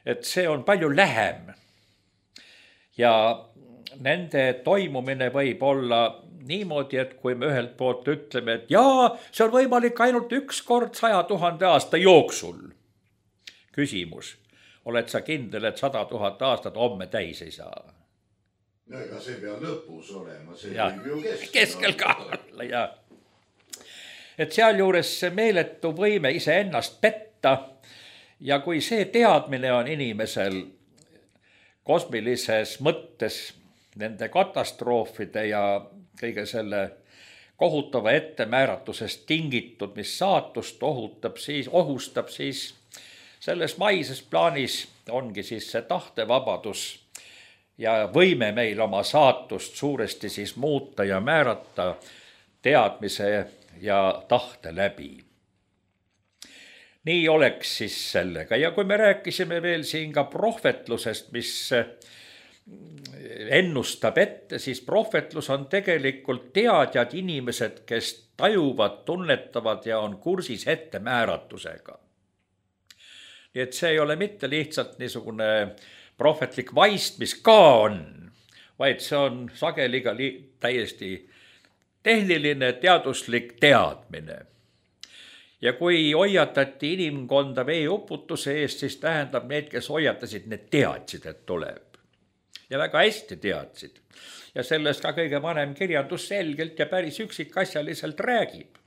et see on palju lähem. Ja nende toimumine võib olla niimoodi, et kui me ühelt poolt ütleme, et jaa, see on võimalik ainult 1 kord 100 000 aasta jooksul. Küsimus, oled sa kindel, et 100 000 aastat homme täis ei saa? No ega see peab lõpus olema, see ja, võib ju keskel ka olla, jah. Et sealjuures see meeletu võime iseennast petta ja kui see teadmine on inimesel kosmilises mõttes nende katastroofide ja kõige selle kohutava ettemääratusest tingitud, mis saatust ohustab, siis selles maises plaanis ongi siis see tahtevabadus ja võime meil oma saatust suuresti siis muuta ja määrata teadmise ja tahte läbi. Nii oleks siis sellega. Ja kui me rääkisime veel siin ka prohvetlusest, mis ennustab ette, siis prohvetlus on tegelikult teadjad inimesed, kes tajuvad, tunnetavad ja on kursis ettemääratusega. Nii et see ei ole mitte lihtsalt niisugune prohvetlik vaist, mis ka on, vaid see on sageli ka täiesti tehniline teaduslik teadmine. Ja kui hoiatati inimkonda veeuputuse eest, siis tähendab need, kes hoiatasid, need teadsid, et tuleb. Ja väga hästi teadsid. Ja sellest ka kõige vanem kirjandus selgelt ja päris üksikasjaliselt räägib.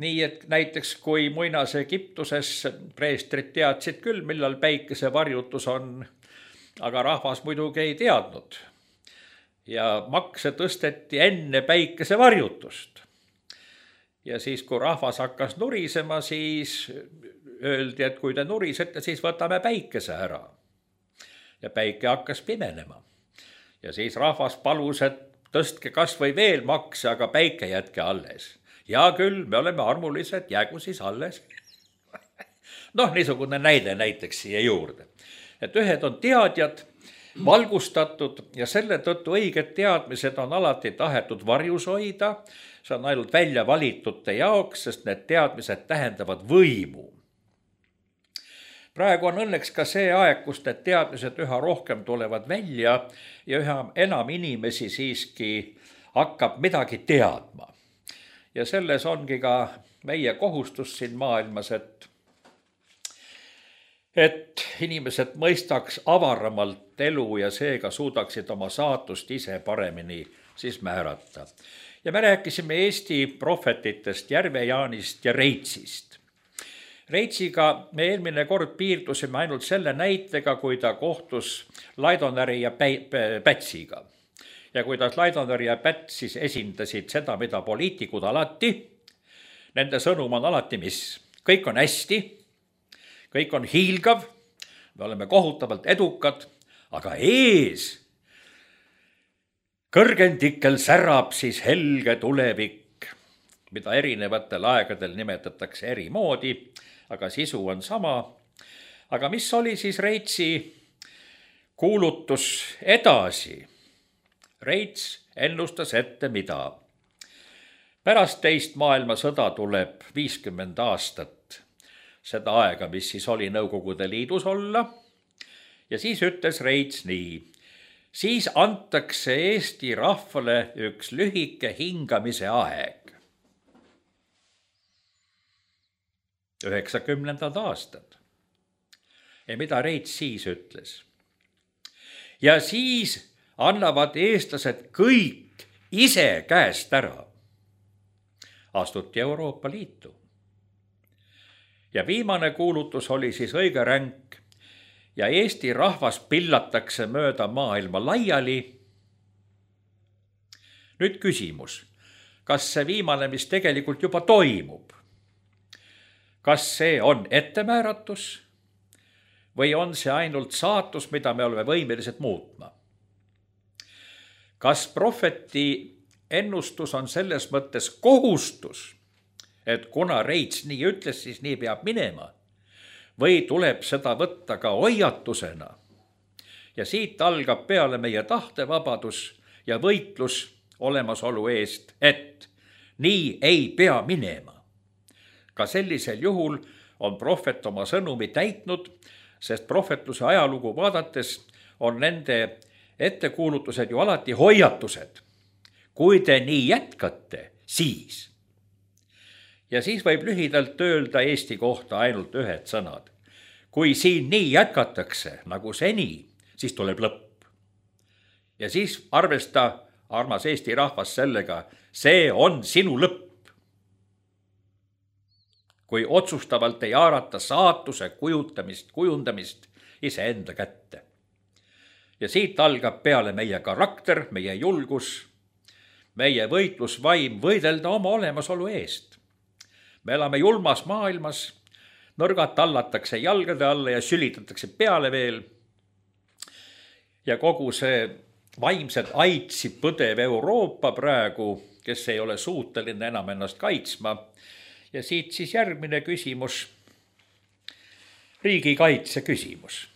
Nii et näiteks kui muinas Egiptuses preestrid teadsid küll, millal päikesevarjutus on, aga rahvas muidugi ei teadnud. Ja makse tõsteti enne päikesevarjutust. Ja siis, kui rahvas hakkas nurisema, siis öeldi, et kui te nurisete, siis võtame päikese ära. Ja päike hakkas pimenema. Ja siis rahvas palus, et tõstke kas või veel makse, aga päike jätke alles. Ja küll, me oleme armulised, jäägu siis alles. Noh, niisugune näide näiteks siia juurde. Et ühed on teadjad, valgustatud ja selle tõttu õiged teadmised on alati tahetud varjus hoida. See on ainult välja valitute jaoks, sest need teadmised tähendavad võimu. Praegu on õnneks ka see aeg, kus need teadmised üha rohkem tulevad välja ja üha enam inimesi siiski hakkab midagi teadma. Ja selles ongi ka meie kohustus siin maailmas, et inimesed mõistaks avaramalt elu ja seega suudaksid oma saatust ise paremini siis määrata. Ja me rääkisime Eesti prohvetitest, Järve-Jaanist ja Reitsist. Reitsiga me eelmine kord piirdusime ainult selle näitega, kui ta kohtus Laidonäri ja Pätsiga. Ja kuidas Laidonär ja Päts siis esindasid seda, mida poliitikud alati, nende sõnum on alati mis? Kõik on hästi, kõik on hiilgav, me oleme kohutavalt edukad, aga ees kõrgendikel särab siis helge tulevik, mida erinevatel aegadel nimetatakse eri moodi, aga sisu on sama. Aga mis oli siis Reitsi kuulutus edasi? Reits ennustas ette mida? Pärast teist maailmasõda tuleb 50 aastat seda aega, mis siis oli Nõukogude Liidus olla. Ja siis ütles Reits nii: siis antakse Eesti rahvale üks lühike hingamise aeg. 90. aastad. Ja mida Reits siis ütles? Ja siis annavad eestlased kõik ise käest ära. Astuti Euroopa Liitu. Ja viimane kuulutus oli siis õige ränk ja Eesti rahvas pillatakse mööda maailma laiali. Nüüd küsimus, kas see viimane, mis tegelikult juba toimub, kas see on ettemääratus või on see ainult saatus, mida me oleme võimelised muutma? Kas prohveti ennustus on selles mõttes kohustus, et kuna Reits nii ütles, siis nii peab minema, või tuleb seda võtta ka hoiatusena? Ja siit algab peale meie tahtevabadus ja võitlus olemasolu eest, et nii ei pea minema. Ka sellisel juhul on prohvet oma sõnumi täitnud, sest prohvetluse ajalugu vaadates on nende ettekuulutused ju alati hoiatused. Kui te nii jätkate, siis. Ja siis võib lühidalt öelda Eesti kohta ainult ühed sõnad. Kui siin nii jätkatakse nagu seni, siis tuleb lõpp. Ja siis arvesta, armas Eesti rahvas, sellega, see on sinu lõpp. Kui otsustavalt ei haarata saatuse kujundamist iseenda kätte. Ja siit algab peale meie karakter, meie julgus, meie võitlusvaim võidelda oma olemasolu eest. Me elame julmas maailmas, nõrgad tallatakse jalgade alla ja sülitatakse peale veel. Ja kogu see vaimset aitsi põdev Euroopa praegu, kes ei ole suuteline enam ennast kaitsma. Ja siit siis järgmine küsimus, riigikaitse küsimus.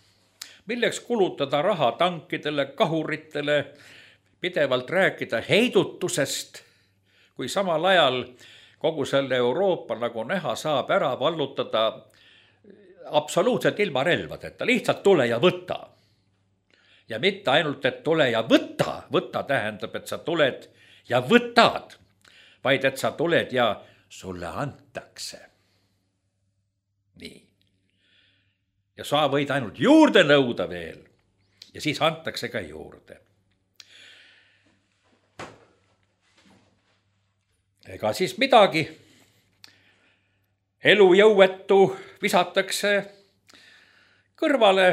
Milleks kulutada raha tankidele, kahuritele, pidevalt rääkida heidutusest, kui samal ajal kogu selle Euroopa, nagu näha, saab ära vallutada absoluutselt ilma relvadeta, lihtsalt tule ja võta. Ja mitte ainult, et tule ja võta tähendab, et sa tuled ja võtad, vaid et sa tuled ja sulle antakse. Nii. Ja sa võid ainult juurde nõuda veel ja siis antakse ka juurde. Ega siis midagi. Elujõuetu visatakse kõrvale,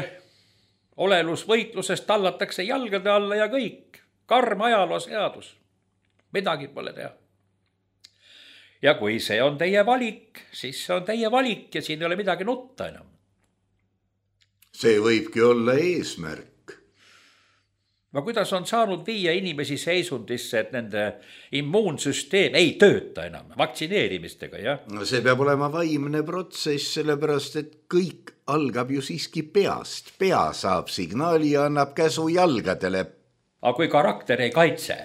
olelusvõitlusest tallatakse jalgade alla ja kõik. Karm ajaloo seadus. Midagi pole teha. Ja kui see on teie valik, siis see on teie valik ja siin ei ole midagi nutta enam. See võibki olla eesmärk. No kuidas on saanud viia inimesi seisundisse, et nende immuunsüsteem ei tööta enam vaktsineerimistega, jah? No see peab olema vaimne protsess, sellepärast et kõik algab ju siiski peast. Pea saab signaali ja annab käsu jalgadele. Aga kui karakter ei kaitse?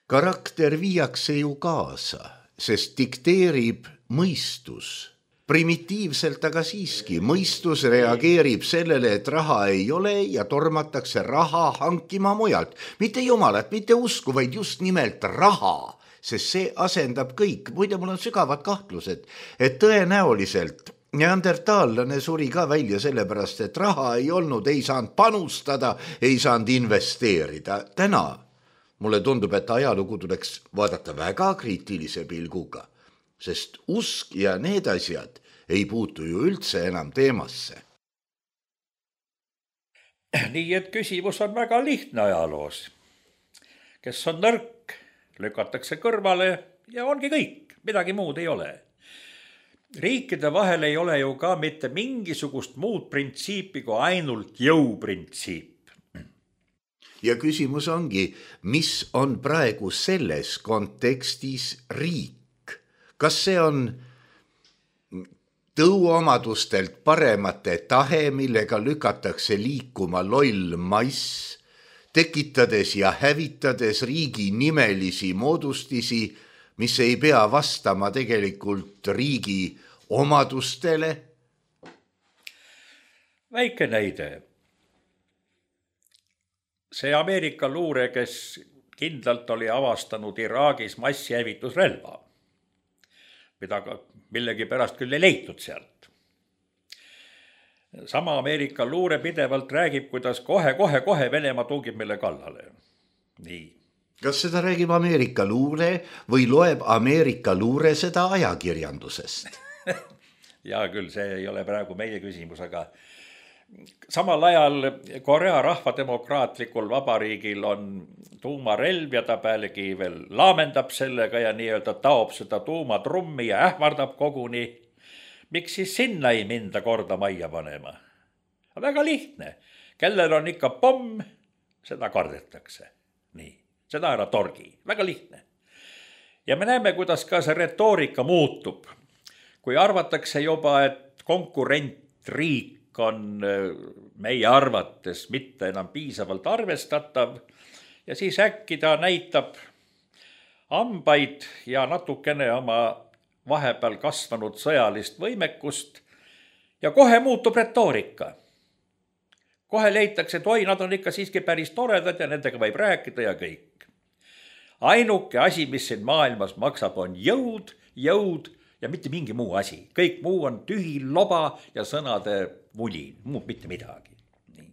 Karakter viiakse ju kaasa, sest dikteerib mõistus. Primitiivselt aga siiski mõistus reageerib sellele, et raha ei ole ja tormatakse raha hankima mujalt. Mitte jumalat, mitte usku, vaid just nimelt raha, sest see asendab kõik. Muide, mul on sügavad kahtlused, et tõenäoliselt neandertaallane suri ka välja sellepärast, et raha ei olnud, ei saanud panustada, ei saanud investeerida. Täna mulle tundub, et ajalugu tuleks vaadata väga kriitilise pilguga, sest usk ja need asjad ei puutu ju üldse enam teemasse. Nii et küsimus on väga lihtne ajaloos. Kes on nõrk, lükatakse kõrvale ja ongi kõik, midagi muud ei ole. Riikide vahel ei ole ju ka mitte mingisugust muud printsiipi kui ainult jõuprintsiip. Ja küsimus ongi, mis on praegu selles kontekstis riik? Kas see on tõuomadustelt paremate tahe, millega lükatakse liikuma loll mass, tekitades ja hävitades riigi nimelisi moodustisi, mis ei pea vastama tegelikult riigi omadustele? Väike näide. See Ameerika luure, kes kindlalt oli avastanud Iraagis massihävitusrelva, mida millegi pärast küll ei leitud sealt. Sama Ameerika luure pidevalt räägib, kuidas kohe Venemaa tungib meile kallale. Nii. Kas seda räägib Ameerika luure või loeb Ameerika luure seda ajakirjandusest? Ja küll, see ei ole praegu meie küsimus, aga samal ajal Korea rahvademokraatlikul vabariigil on tuumarelv ja ta pealegi veel laamendab sellega ja nii-öelda taob seda tuumatrummi ja ähvardab koguni. Miks siis sinna ei minda korda majja panema? Väga lihtne. Kellel on ikka pomm, seda kardetakse. Nii. Seda ära torgi. Väga lihtne. Ja me näeme, kuidas ka see retoorika muutub. Kui arvatakse juba, et konkurentriik on meie arvates mitte enam piisavalt arvestatav ja siis äkki ta näitab ambaid ja natukene oma vahepeal kasvanud sõjalist võimekust ja kohe muutub retoorika. Kohe leitakse, et oi, nad on ikka siiski päris toredad ja nendega võib rääkida ja kõik. Ainuke asi, mis siin maailmas maksab, on jõud ja mitte mingi muu asi. Kõik muu on tühi loba ja sõnade vulin, muud mitte midagi. Nii.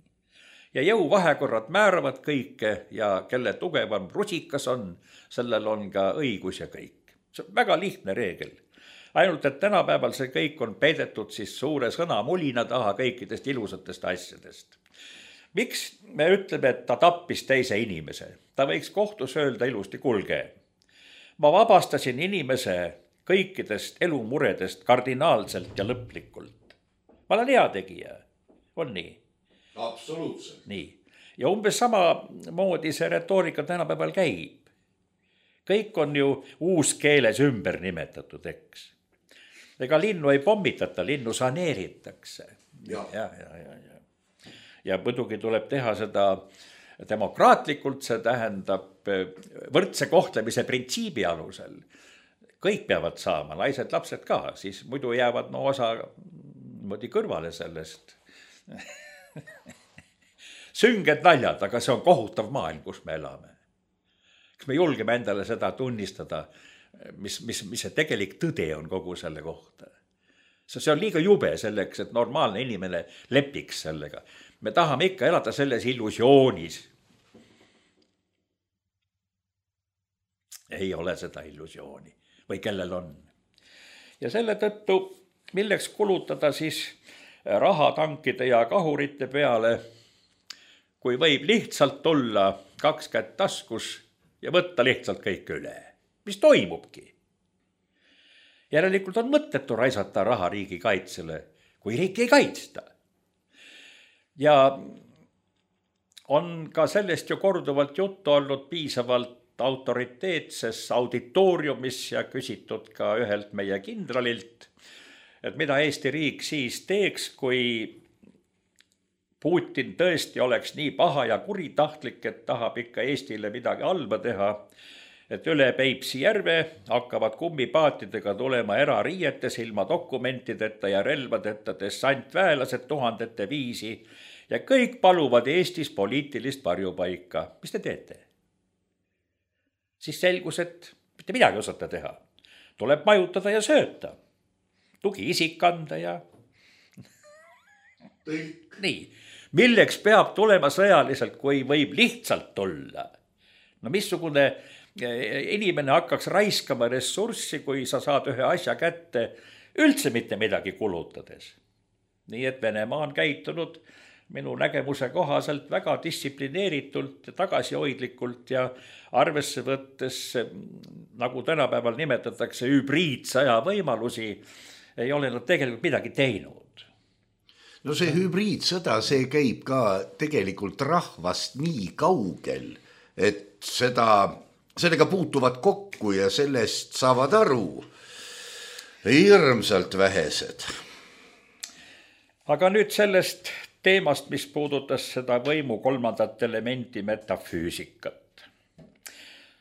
Ja jõuvahekorrad määravad kõike ja kelle tugevam rusikas on, sellel on ka õigus ja kõik. See on väga lihtne reegel. Ainult, et tänapäeval see kõik on peidetud siis suure sõnamulina taha kõikidest ilusatest asjadest. Miks me ütleme, et ta tappis teise inimese? Ta võiks kohtus öelda ilusti, kulge. Ma vabastasin inimese kõikidest elumuredest kardinaalselt ja lõplikult. Ma olen hea tegija. On nii? Absoluutselt. Nii. Ja umbes sama moodi see retoorika tänapäeval käib. Kõik on ju uus keeles ümber nimetatud, eks. Ega linnu ei pommitata, linnu saneeritakse. Ja muidugi tuleb teha seda demokraatlikult, see tähendab võrdse kohtlemise printsiibi alusel. Kõik peavad saama, naised, lapsed ka, siis muidu jäävad osa kõrvale sellest. Sünged naljad, aga see on kohutav maailm, kus me elame. Kas me julgeme endale seda tunnistada, mis see tegelik tõde on kogu selle kohta? See on liiga jube selleks, et normaalne inimene lepiks sellega. Me tahame ikka elada selles illusioonis. Ei ole seda illusiooni või kellel on. Ja selle tõttu, milleks kulutada siis raha tankide ja kahurite peale, kui võib lihtsalt tulla 2 kätt taskus ja võtta lihtsalt kõik üle. Mis toimubki? Järelikult on mõttetu raisata raha riigi kaitsele, kui riiki ei kaitsta. Ja on ka sellest ju korduvalt juttu olnud piisavalt autoriteetses auditooriumis ja küsitud ka ühelt meie kindralilt, et mida Eesti riik siis teeks, kui Putin tõesti oleks nii paha ja kuritahtlik, et tahab ikka Eestile midagi halba teha, et üle Peipsi järve hakkavad kummipaatidega tulema erariietes ilma dokumentideta ja relvadeta dessantväelased 1000 viisi ja kõik paluvad Eestis poliitilist varjupaika. Mis te teete? Siis selgus, et mitte midagi osata teha. Tuleb majutada ja sööta. tugiisik anda ja nii. Milleks peab tulema sõjaliselt, kui võib lihtsalt tulla? No missugune inimene hakkaks raiskama ressurssi, kui sa saad ühe asja kätte üldse mitte midagi kulutades. Nii et Venemaa on käitunud minu nägemuse kohaselt väga distsiplineeritult ja tagasihoidlikult ja arvesse võttes, nagu tänapäeval nimetatakse, hübriidsõja võimalusi, ei ole nad tegelikult midagi teinud. No see hübriidsõda, see käib ka tegelikult rahvast nii kaugel, et sellega puutuvad kokku ja sellest saavad aru hirmsalt vähesed. Aga nüüd sellest teemast, mis puudutas seda võimu kolmandat elementi metafüüsikat.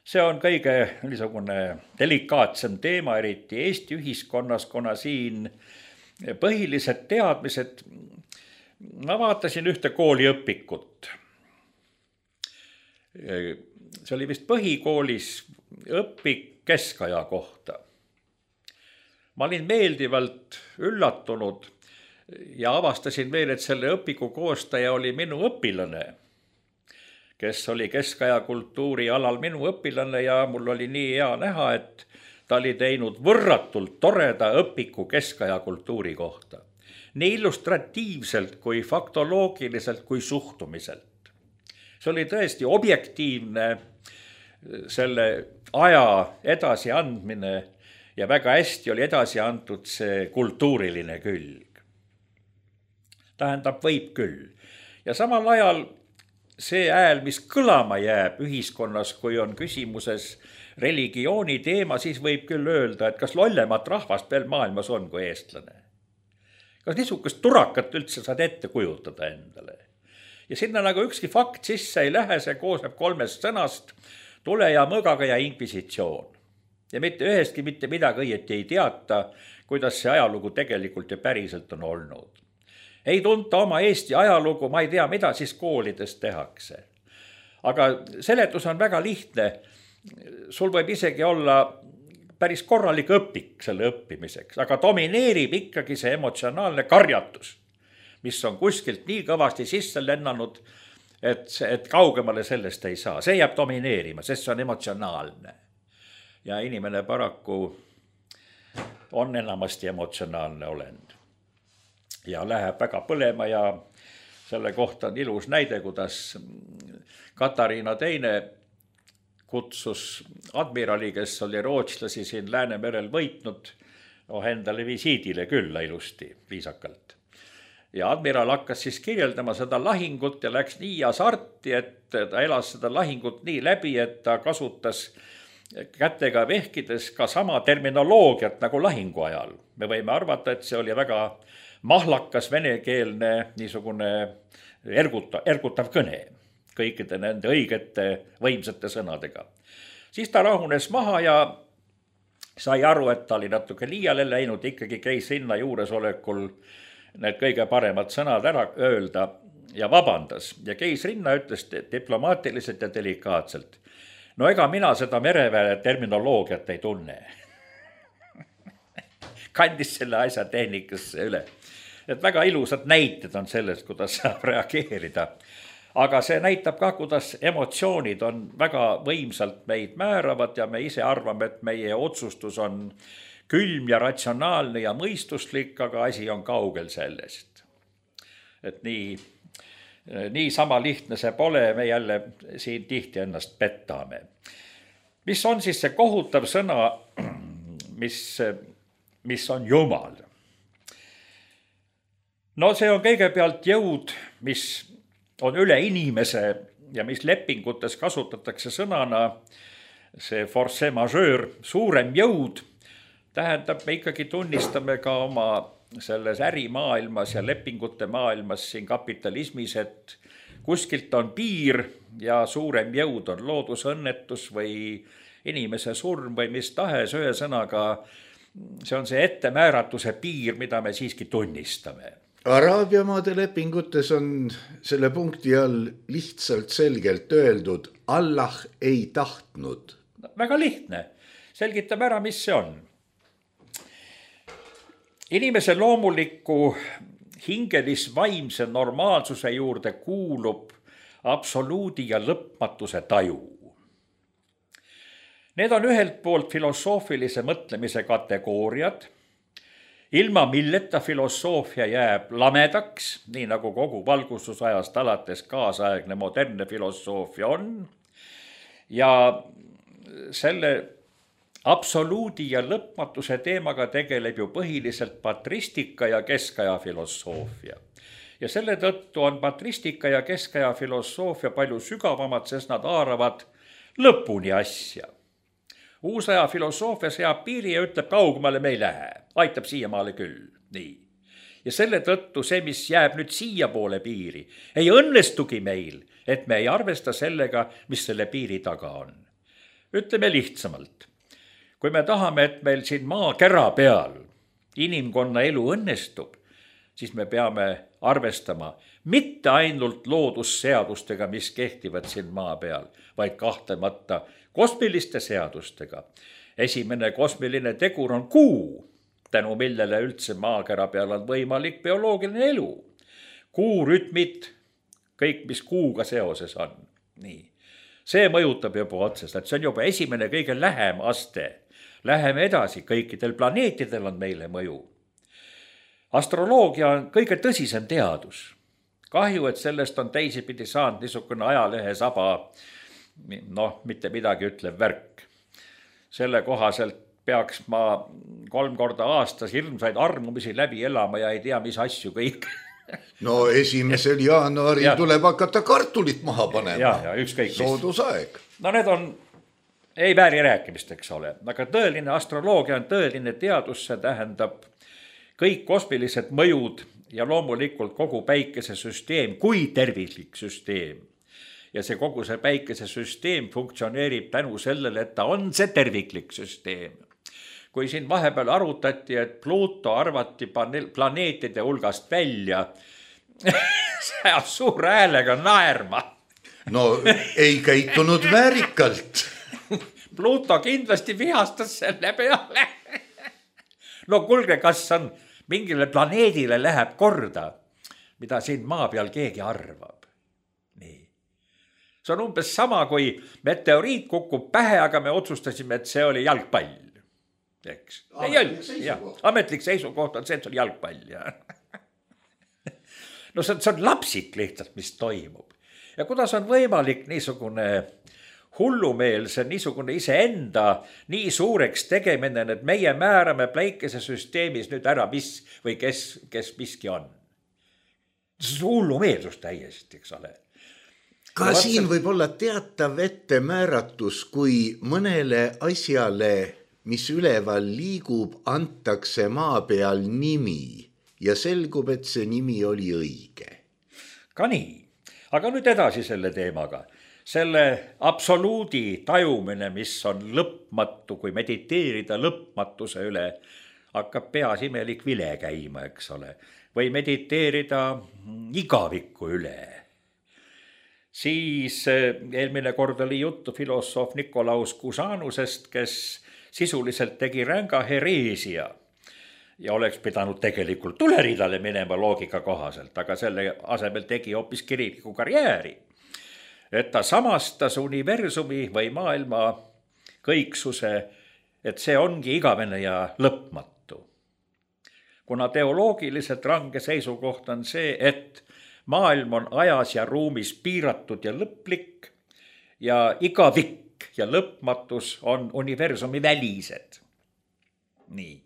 See on kõige niisugune delikaatsem teema, eriti Eesti ühiskonnas, kuna siin põhilised teadmised, ma vaatasin ühte kooliõpikut. See oli vist põhikoolis õpik keskaja kohta. Ma olin meeldivalt üllatunud ja avastasin veel, et selle õpiku koostaja oli minu õpilane, kes oli keskaja kultuuri alal minu õpilane ja mul oli nii hea näha, et ta oli teinud võrratult toreda õpiku keskaja kultuuri kohta. Nii illustratiivselt kui faktoloogiliselt kui suhtumiselt. See oli tõesti objektiivne selle aja edasi andmine ja väga hästi oli edasi antud see kultuuriline külg. Tähendab, võib küll. Ja samal ajal see hääl, mis kõlama jääb ühiskonnas, kui on küsimuses religiooni teema, siis võib küll öelda, et kas lollemat rahvast veel maailmas on kui eestlane. Kas niisugust turakat üldse saad ette kujutada endale? Ja sinna nagu ükski fakt sisse ei lähe, see koosneb 3 sõnast, tule ja mõgaga ja inkvisitsioon. Ja mitte ühestki mitte midagi õieti ei teata, kuidas see ajalugu tegelikult ja päriselt on olnud. Ei tunta oma Eesti ajalugu, ma ei tea, mida siis koolides tehakse. Aga seletus on väga lihtne. Sul võib isegi olla päris korralik õpik selle õppimiseks, aga domineerib ikkagi see emotsionaalne karjatus, mis on kuskilt nii kõvasti sisse lennanud, et kaugemale sellest ei saa. See jääb domineerima, sest see on emotsionaalne. Ja inimene paraku on enamasti emotsionaalne olend. Ja läheb väga põlema ja selle kohta on ilus näide, kuidas Katariina II kutsus admirali, kes oli rootslasi siin Läänemerel võitnud, endale visiidile külla ilusti, viisakalt. Ja admiral hakkas siis kirjeldama seda lahingut ja läks nii hasarti, et ta elas seda lahingut nii läbi, et ta kasutas kätega vehkides ka sama terminoloogiat nagu lahingu ajal. Me võime arvata, et see oli väga mahlakas venekeelne niisugune ergutav kõne kõikide nende õigete võimsate sõnadega. Siis ta rahunes maha ja sai aru, et ta oli natuke liiale läinud, ikkagi käis sinna juuresolekul need kõige paremad sõnad ära öelda ja vabandas. Ja käis rinna, ütles diplomaatiliselt ja delikaatselt. No ega mina seda mereväe terminoloogiat ei tunne. Kandis selle asja tehnikasse üle. Et väga ilusad näited on sellest, kuidas saab reageerida. Aga see näitab ka, kuidas emotsioonid on väga võimsalt meid määravad ja me ise arvame, et meie otsustus on külm ja ratsionaalne ja mõistuslik, aga asi on kaugel sellest. Et nii sama lihtne see pole, me jälle siin tihti ennast pettame. Mis on siis see kohutav sõna, mis on Jumal? No see on kõigepealt jõud, mis on üle inimese ja mis lepingutes kasutatakse sõnana see force majeure, suurem jõud, tähendab, me ikkagi tunnistame ka oma selles ärimaailmas ja lepingute maailmas siin kapitalismis, et kuskilt on piir ja suurem jõud on loodusõnnetus või inimese surm või mis tahes, ühe sõnaga see on see ettemääratuse piir, mida me siiski tunnistame. Araabia maade lepingutes on selle punkti all lihtsalt selgelt öeldud, Allah ei tahtnud. Väga lihtne. Selgitame ära, mis see on. Inimese loomuliku hingelis-vaimse normaalsuse juurde kuulub absoluudi ja lõpmatuse taju. Need on ühelt poolt filosoofilise mõtlemise kategooriad, ilma milleta filosoofia jääb lamedaks, nii nagu kogu valgustusajast alates kaasaegne modernne filosoofia on. Ja selle absoluudi ja lõpmatuse teemaga tegeleb ju põhiliselt patristika ja keskaja filosoofia. Ja selle tõttu on patristika ja keskaja filosoofia palju sügavamad, sest nad haaravad lõpuni asja. Uusaja filosoofia seab piiri ja ütleb, kaugemale me ei lähe, aitab siiamaale küll. Nii. Ja selle tõttu see, mis jääb nüüd siia poole piiri, ei õnnestugi meil, et me ei arvesta sellega, mis selle piiri taga on. Ütleme lihtsamalt. Kui me tahame, et meil siin maakera peal inimkonna elu õnnestub, siis me peame arvestama mitte ainult loodusseadustega, mis kehtivad siin maa peal, vaid kahtlemata kosmiliste seadustega. Esimene kosmiline tegur on kuu, tänu millele üldse maakera peal on võimalik bioloogiline elu. Kuu rütmid, kõik, mis kuuga seoses on. Nii. See mõjutab juba otseselt, see on juba esimene kõige lähem aste. Läheme edasi, kõikidel planeetidel on meile mõju. Astroloogia on kõige tõsisem teadus. Kahju, et sellest on teisipidi saanud niisugune ajalehe saba, mitte midagi ütlev värk. Selle kohaselt peaks ma 3 korda aastas hirmsaid armumisi läbi elama ja ei tea, mis asju kõik. No 1. jaanuaril tuleb hakata kartulit maha panema. Ja ükskõik. Soodusaeg. No need on, ei vääri rääkimist, eks ole. Aga tõeline astroloogia on tõeline teadus, see tähendab kõik kosmilised mõjud ja loomulikult kogu päikesesüsteem kui tervislik süsteem. Ja see kogu see päikesesüsteem funktsioneerib tänu sellele, et ta on see terviklik süsteem. Kui siin vahepeal arutati, et Pluto arvati planeetide hulgast välja, see on suure häälega naerma. No ei käitunud väärikalt. Pluto kindlasti vihastas selle peale. No kuulge, kas on mingile planeedile läheb korda, mida siin maa peal keegi arvab. Nii. See on umbes sama, kui meteoriit kukub pähe, aga me otsustasime, et see oli jalgpall. Eks? Ametlik seisukoht on see, et see oli jalgpall. No see on lapsik lihtsalt, mis toimub. Ja kuidas on võimalik niisugune hullumeelse, niisugune iseenda nii suureks tegemine, et meie määrame päikesesüsteemis nüüd ära, mis või kes miski on. See on hullumeelsus täiesti, eks ole. Ka siin võib olla teatav ettemääratus, kui mõnele asjale, mis üleval liigub, antakse maa peal nimi ja selgub, et see nimi oli õige. Ka nii. Aga nüüd edasi selle teemaga. Selle absoluudi tajumine, mis on lõpmatu, kui mediteerida lõpmatuse üle, hakkab peas imelik vile käima, eks ole. Või mediteerida igaviku üle. Siis eelmine kord oli juttu filosoof Nikolaus Kusanusest, kes sisuliselt tegi ränga hereesia ja oleks pidanud tegelikult tuleridale minema loogika kohaselt, aga selle asemel tegi hoopis kiriliku karjääri. Et ta samastas universumi või maailma kõiksuse, et see ongi igavene ja lõpmatu. Kuna teoloogiliselt range seisukoht on see, et maailm on ajas ja ruumis piiratud ja lõplik ja igavik ja lõpmatus on universumi välised. Nii.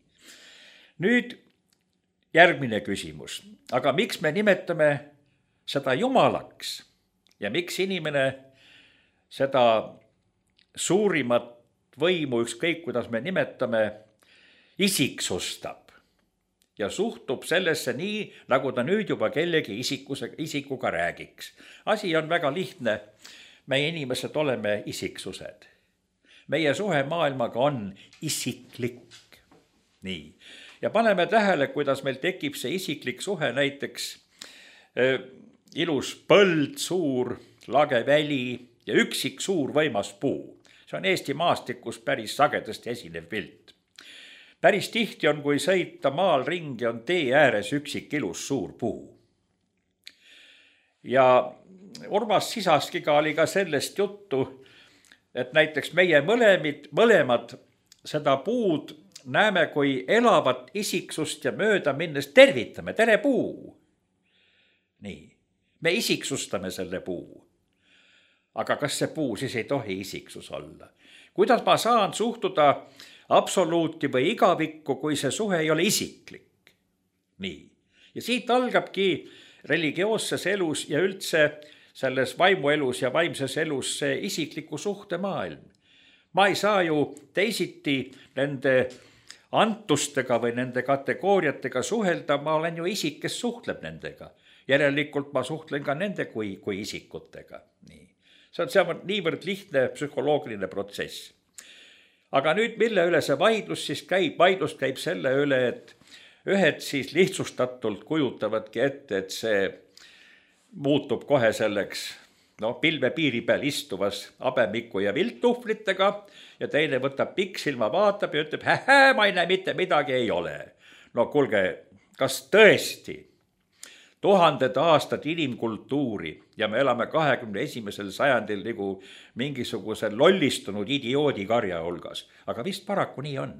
Nüüd järgmine küsimus. Aga miks me nimetame seda jumalaks? Ja miks inimene seda suurimat võimu, ükskõik kuidas me nimetame, isiksustab ja suhtub sellesse nii, nagu ta nüüd juba kellegi isikuga räägiks. Asi on väga lihtne. Meie inimesed oleme isiksused. Meie suhe maailmaga on isiklik. Nii. Ja paneme tähele, kuidas meil tekib see isiklik suhe näiteks ilus põld, suur lage väli ja üksik suur võimas puu. See on Eesti maastikus päris sagedasti esinev pilt. päris tihti on, kui sõita maal ringi, on tee ääres üksik ilus suur puu. Ja Urmas Sisaskiga oli ka sellest juttu, et näiteks meie mõlemad seda puud näeme kui elavat isiksust ja mööda minnes tervitame, tere puu. Nii, me isiksustame selle puu. Aga kas see puu siis ei tohi isiksus olla? Kuidas ma saan suhtuda absoluuti või igavikku, kui see suhe ei ole isiklik? Nii, ja siit algabki religioosses elus ja üldse selles vaimuelus ja vaimses elus see isikliku suhte maailm. Ma ei saa ju teisiti nende antustega või nende kategooriatega suhelda, ma olen ju isik, kes suhtleb nendega. Järelikult ma suhtlen ka nende kui isikutega. Nii. See on niivõrd lihtne psühholoogiline protsess. Aga nüüd, mille üle see vaidlus siis käib? Vaidlus käib selle üle, et ühed siis lihtsustatult kujutavadki ette, et see muutub kohe selleks pilve piiri peal istuvas habemiku ja vilttuhvlitega ja teine võtab pikksilma, vaatab ja ütleb, ma ei näe mitte midagi, ei ole. No kuulge, kas tõesti 1000 aastat inimkultuuri ja me elame 21. sajandil nagu mingisuguse lollistunud idioodi karja hulgas, aga vist paraku nii on.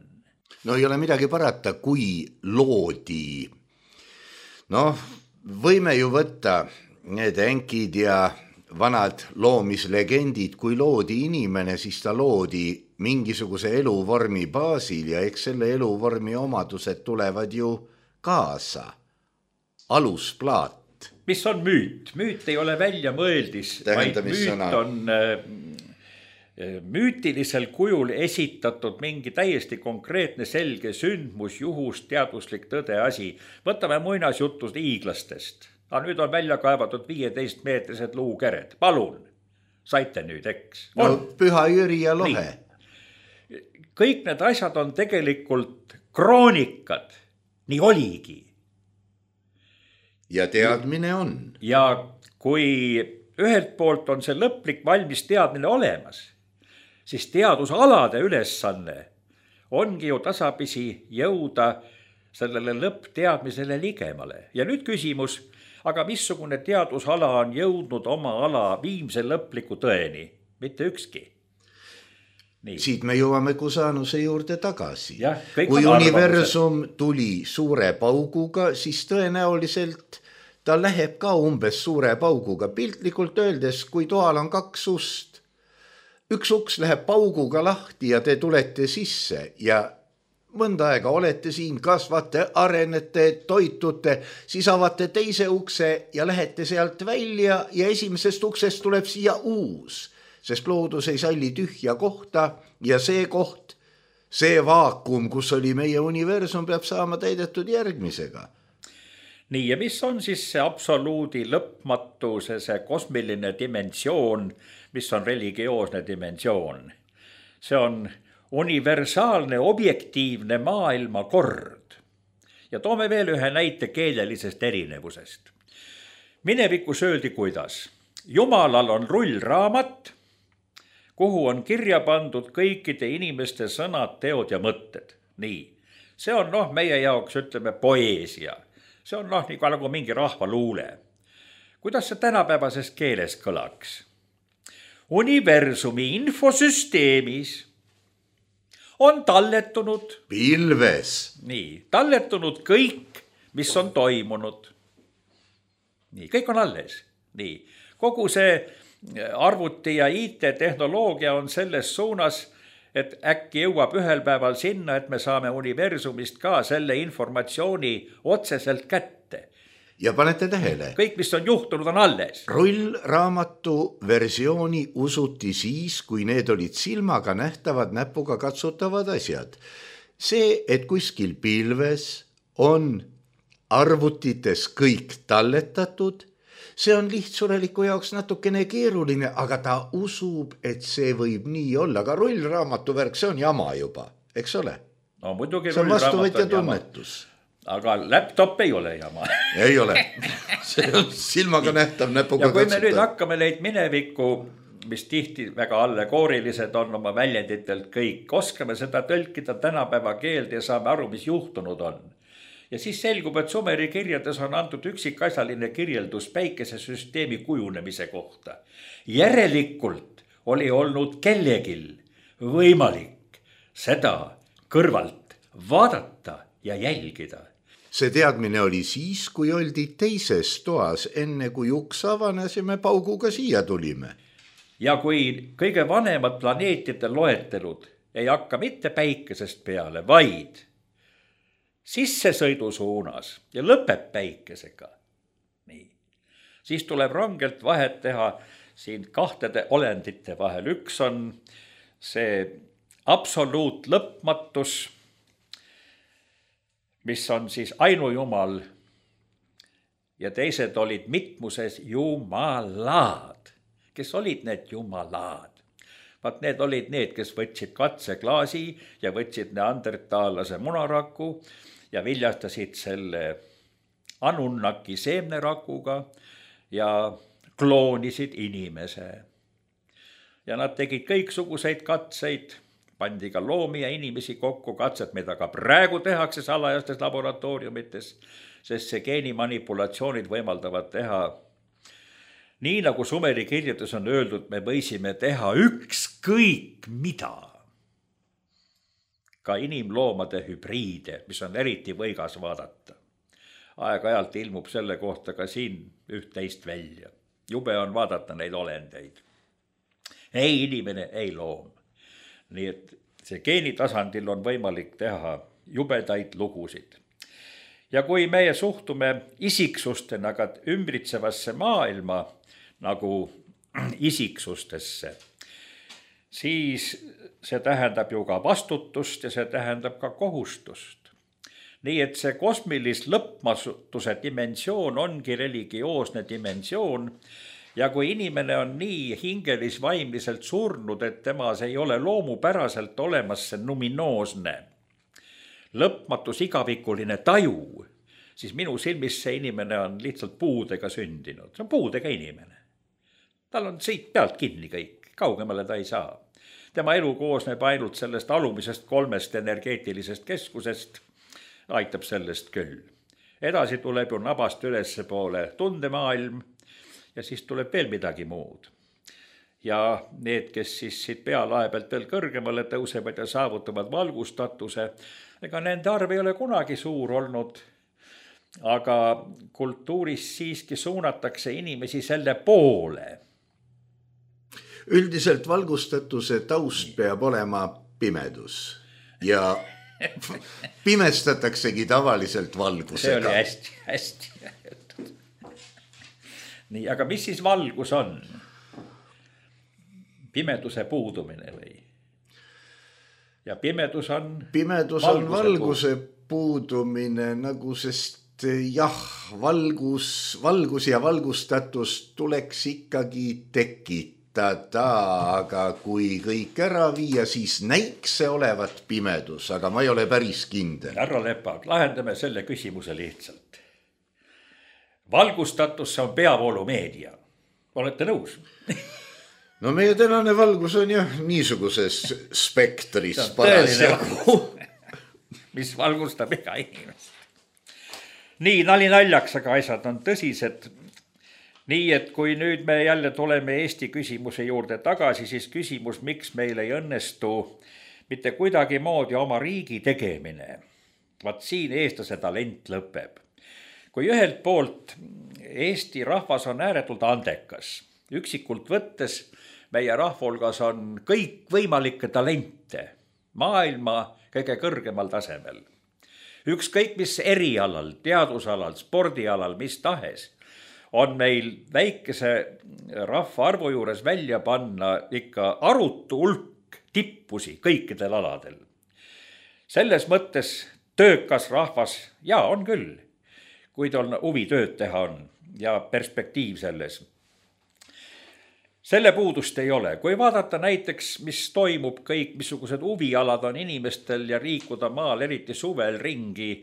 No ei ole midagi parata, kui loodi. Võime ju võtta need enkid ja vanad loomislegendid, kui loodi inimene, siis ta loodi mingisuguse eluvormi baasil ja eks selle eluvormi omadused tulevad ju kaasa. Alusplaat. Mis on müüt? Müüt ei ole välja mõeldis, vaid müüt on müütilisel kujul esitatud mingi täiesti konkreetne selge sündmus, juhus, teaduslik tõde asi. Võtame muinasjutud hiiglastest. Nüüd on välja kaevatud 15-meetrised luukered. Palun, saite nüüd, eks? Püha Jüri ja Lohe. Kõik need asjad on tegelikult kroonikad. Nii oligi. Ja teadmine on. Ja kui ühelt poolt on see lõplik valmis teadmine olemas, siis teadusalade ülesanne ongi ju tasapisi jõuda sellele lõppteadmisele ligemale. Ja nüüd küsimus, aga missugune teadusala on jõudnud oma ala viimse lõpliku tõeni? Mitte ükski. Nii. Siit me jõuame Kusanuse juurde tagasi. Kui universum tuli suure pauguga, siis tõenäoliselt ta läheb ka umbes suure pauguga. Piltlikult öeldes, kui toal on 2 ust, üks uks läheb pauguga lahti ja te tulete sisse ja mõnda aega olete siin, kasvate, arenete, toitute, siis avate teise ukse ja lähete sealt välja ja esimesest uksest tuleb siia uus, sest loodus ei salli tühja kohta ja see koht, see vaakum, kus oli meie universum, peab saama täidetud järgmisega. Nii, ja mis on siis see absoluudi lõpmatuse, see kosmiline dimensioon, mis on religioosne dimensioon? See on universaalne objektiivne maailmakord. Ja toome veel ühe näite keelelisest erinevusest. Minevikus öeldi kuidas? Jumalal on rullraamat, kuhu on kirja pandud kõikide inimeste sõnad, teod ja mõtted. Nii, see on meie jaoks ütleme poeesia. See on nagu mingi rahvaluule. Kuidas see tänapäevases keeles kõlaks? Universumi infosüsteemis on talletunud pilves. Nii, talletunud kõik, mis on toimunud. Nii, kõik on alles. Nii, kogu see arvuti ja IT-tehnoloogia on selles suunas, et äkki jõuab ühel päeval sinna, et me saame universumist ka selle informatsiooni otseselt kätte. Ja panete tähele. Kõik, mis on juhtunud, on alles. Rullraamatu versiooni usuti siis, kui need olid silmaga nähtavad, näpuga katsutavad asjad. See, et kuskil pilves on arvutites kõik talletatud, see on lihtsureliku jaoks natukene keeruline, aga ta usub, et see võib nii olla. Aga rullraamatu värk, see on jama juba, eks ole? No muidugi see on vastuvõtja tunnetus. Aga laptop ei ole jama. Ei ole. See on silmaga nähtav näpuga katsutada. Ja kui me nüüd hakkame neid mineviku mis tihti väga allegoorilised on oma väljenditelt kõik. Oskame seda tõlkida tänapäeva keelde ja saame aru, mis juhtunud on. Ja siis selgub, et Sumeri kirjades on antud üksikasjaline kirjeldus päikesesüsteemi kujunemise kohta. Järelikult oli olnud kellegil võimalik seda kõrvalt vaadata ja jälgida. See teadmine oli siis, kui oldi teises toas, enne kui uks avanes ja me pauguga siia tulime. Ja kui kõige vanemad planeetide loetelud ei hakka mitte päikesest peale, vaid sissesõidusuunas ja lõpeb päikesega. Nii. Siis tuleb rangelt vahet teha siin kahtede olendite vahel. Üks on see absoluut lõpmatus, mis on siis ainujumal ja teised olid mitmuses jumalad. Kes olid need jumalad? Vaat need olid need, kes võtsid katseklaasi ja võtsid neandertaalase munaraku ja viljastasid selle Anunnaki seemnerakuga ja kloonisid inimese. Ja nad tegid kõiksuguseid katseid, pandi ka loomi ja inimesi kokku, katsed, mida ka praegu tehakse salajastes laboratooriumites, sest see geenimanipulatsioonid võimaldavad teha. Nii nagu Sumeri kirjeldus on öeldud, me võisime teha ükskõik mida. Ka inimloomade hübriide, mis on eriti võigas vaadata. Aeg-ajalt ilmub selle kohta ka siin üht-teist välja. Jube on vaadata neid olendeid. Ei inimene, ei loom. Nii et see geenitasandil on võimalik teha jubedaid lugusid. Ja kui meie suhtume isiksustena ka ümbritsevasse maailma nagu isiksustesse, siis see tähendab ju ka vastutust ja see tähendab ka kohustust. Nii et see kosmilis lõpmatuse dimensioon ongi religioosne dimensioon ja kui inimene on nii hingelis-vaimliselt surnud, et temas ei ole loomupäraselt olemas see numinoosne, lõpmatus igavikuline taju, siis minu silmis see inimene on lihtsalt puudega sündinud. See on puudega inimene. Tal on siit pealt kinni kõik, kaugemale ta ei saa. Tema elu koosneb ainult sellest alumisest 3 energeetilisest keskusest, aitab sellest küll. Edasi tuleb ju nabast ülesse poole tundemaailm ja siis tuleb veel midagi muud. Ja need, kes siis siit pealae pealt veel kõrgemale tõusevad ja saavutavad valgustatuse, ega nende arv ei ole kunagi suur olnud, aga kultuuris siiski suunatakse inimesi selle poole. Üldiselt valgustatuse taust peab olema pimedus ja pimestataksegi tavaliselt valgusega. See oli hästi. Nii, aga mis siis valgus on? Pimeduse puudumine või? Ja pimedus on valguse puudumine, nagu sest jah, valgus ja valgustatus tuleks ikkagi tekitada, aga kui kõik ära viia, siis näiks see olevat pimedus, aga ma ei ole päris kindel. Härra Lepag, lahendame selle küsimuse lihtsalt. Valgustatus on peavoolumeedia. Olete nõus? No meie tänane valgus on jah niisuguses spektris parasjagu. Mis valgustab iga inimest. Nii, nali naljaks, aga asjad on tõsised. Nii, et kui nüüd me jälle tuleme Eesti küsimuse juurde tagasi, siis küsimus, miks meil ei õnnestu mitte kuidagi moodi oma riigi tegemine. Vaat siin eestlase talent lõpeb. Kui ühelt poolt Eesti rahvas on ääretult andekas, üksikult võttes meie rahvulgas on kõik võimalikke talente maailma kõige kõrgemal tasemel. Ükskõik mis erialal, teadusalal, spordialal, mis tahes, on meil väikese rahvaarvu juures välja panna ikka arutu hulk tippusi kõikidel aladel. Selles mõttes töökas rahvas, jaa, on küll, kuid on huvi tööd teha on ja perspektiiv selles. Selle puudust ei ole. Kui vaadata näiteks, mis toimub kõik, missugused huvialad on inimestel ja liikuda maal, eriti suvel ringi,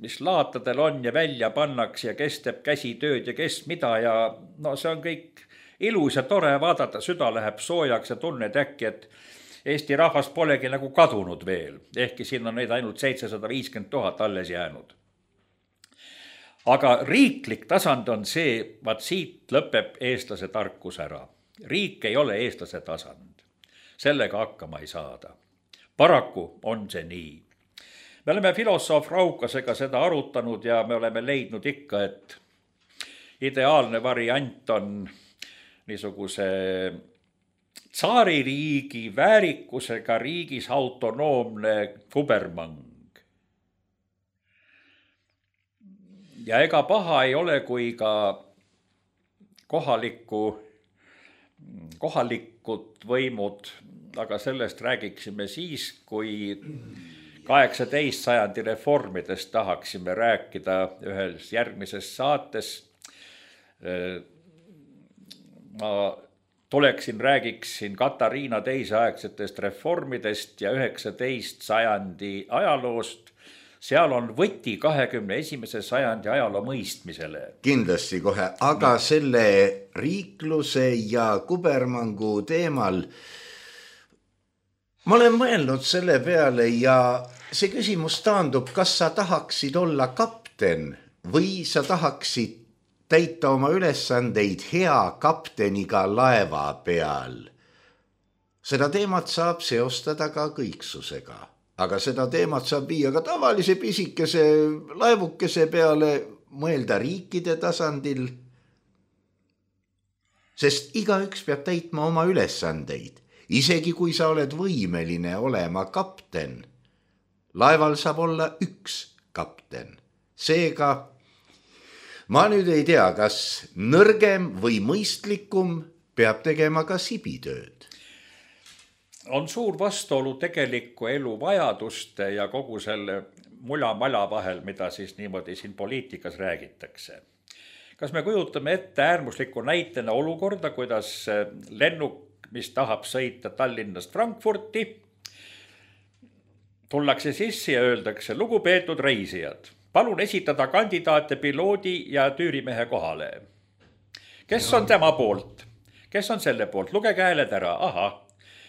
mis laatadel on ja välja pannaks ja kes teeb käsitööd ja kes mida ja no see on kõik ilus ja tore vaadata, süda läheb soojaks ja tunned äkki, et Eesti rahvas polegi nagu kadunud veel, ehkki siin on neid ainult 750 000 alles jäänud. Aga riiklik tasand on see, vaat siit lõpeb eestlase tarkus ära. Riik ei ole eestlase tasand. Sellega hakkama ei saada. Paraku on see nii. Me oleme filosoof Raukasega seda arutanud ja me oleme leidnud ikka, et ideaalne variant on niisuguse tsaaririigi väärikusega riigis autonoomne kubermang. Ja ega paha ei ole, kui ka kohalikud võimud, aga sellest räägiksime siis, kui 18. sajandi reformidest tahaksime rääkida ühes järgmises saates. Ma tuleksin, räägiksin Katariina teiseaegsetest reformidest ja 19. sajandi ajaloost. Seal on võti 21. sajandi ajaloo mõistmisele. Kindlasti kohe, aga selle riikluse ja kubermangu teemal ma olen mõelnud selle peale ja see küsimus taandub, kas sa tahaksid olla kapten või sa tahaksid täita oma ülesandeid hea kapteniga laeva peal. Seda teemat saab seostada ka kõiksusega, aga seda teemat saab viia ka tavalise pisikese laevukese peale, mõelda riikide tasandil, sest igaüks peab täitma oma ülesandeid, isegi kui sa oled võimeline olema kapten. Laeval saab olla üks kapten, seega ma nüüd ei tea, kas nõrgem või mõistlikum peab tegema ka sibitööd. On suur vastuolu tegeliku elu vajaduste ja kogu selle mula-mala vahel, mida siis niimoodi siin poliitikas räägitakse. Kas me kujutame ette äärmusliku näitena olukorda, kuidas lennuk, mis tahab sõita Tallinnast Frankfurti, tullakse sisse ja öeldakse, lugupeetud reisijad, palun esitada kandidaate piloodi ja tüürimehe kohale. Kes on tema poolt? Kes on selle poolt? Lugege hääled ära. Aha.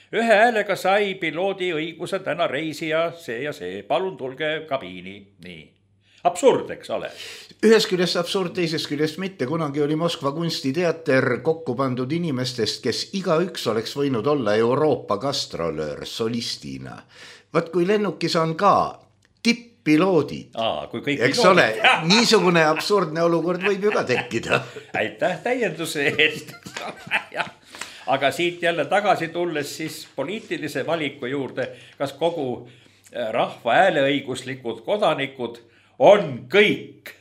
Ühe häälega sai piloodi õiguse täna reisija see ja see. Palun tulge kabiini. Nii. Absurd, eks ole. Ühes küljest absurd, teises küljest mitte. Kunagi oli Moskva kunstiteater kokku pandud inimestest, kes igaüks oleks võinud olla Euroopa gastrolöör solistina. Vaat kui lennukis on ka tipp-piloodid, eks ole, niisugune absurdne olukord võib ju ka tekkida. Aitäh täienduse eest. Aga siit jälle tagasi tulles siis poliitilise valiku juurde, kas kogu rahva hääleõiguslikud kodanikud on kõik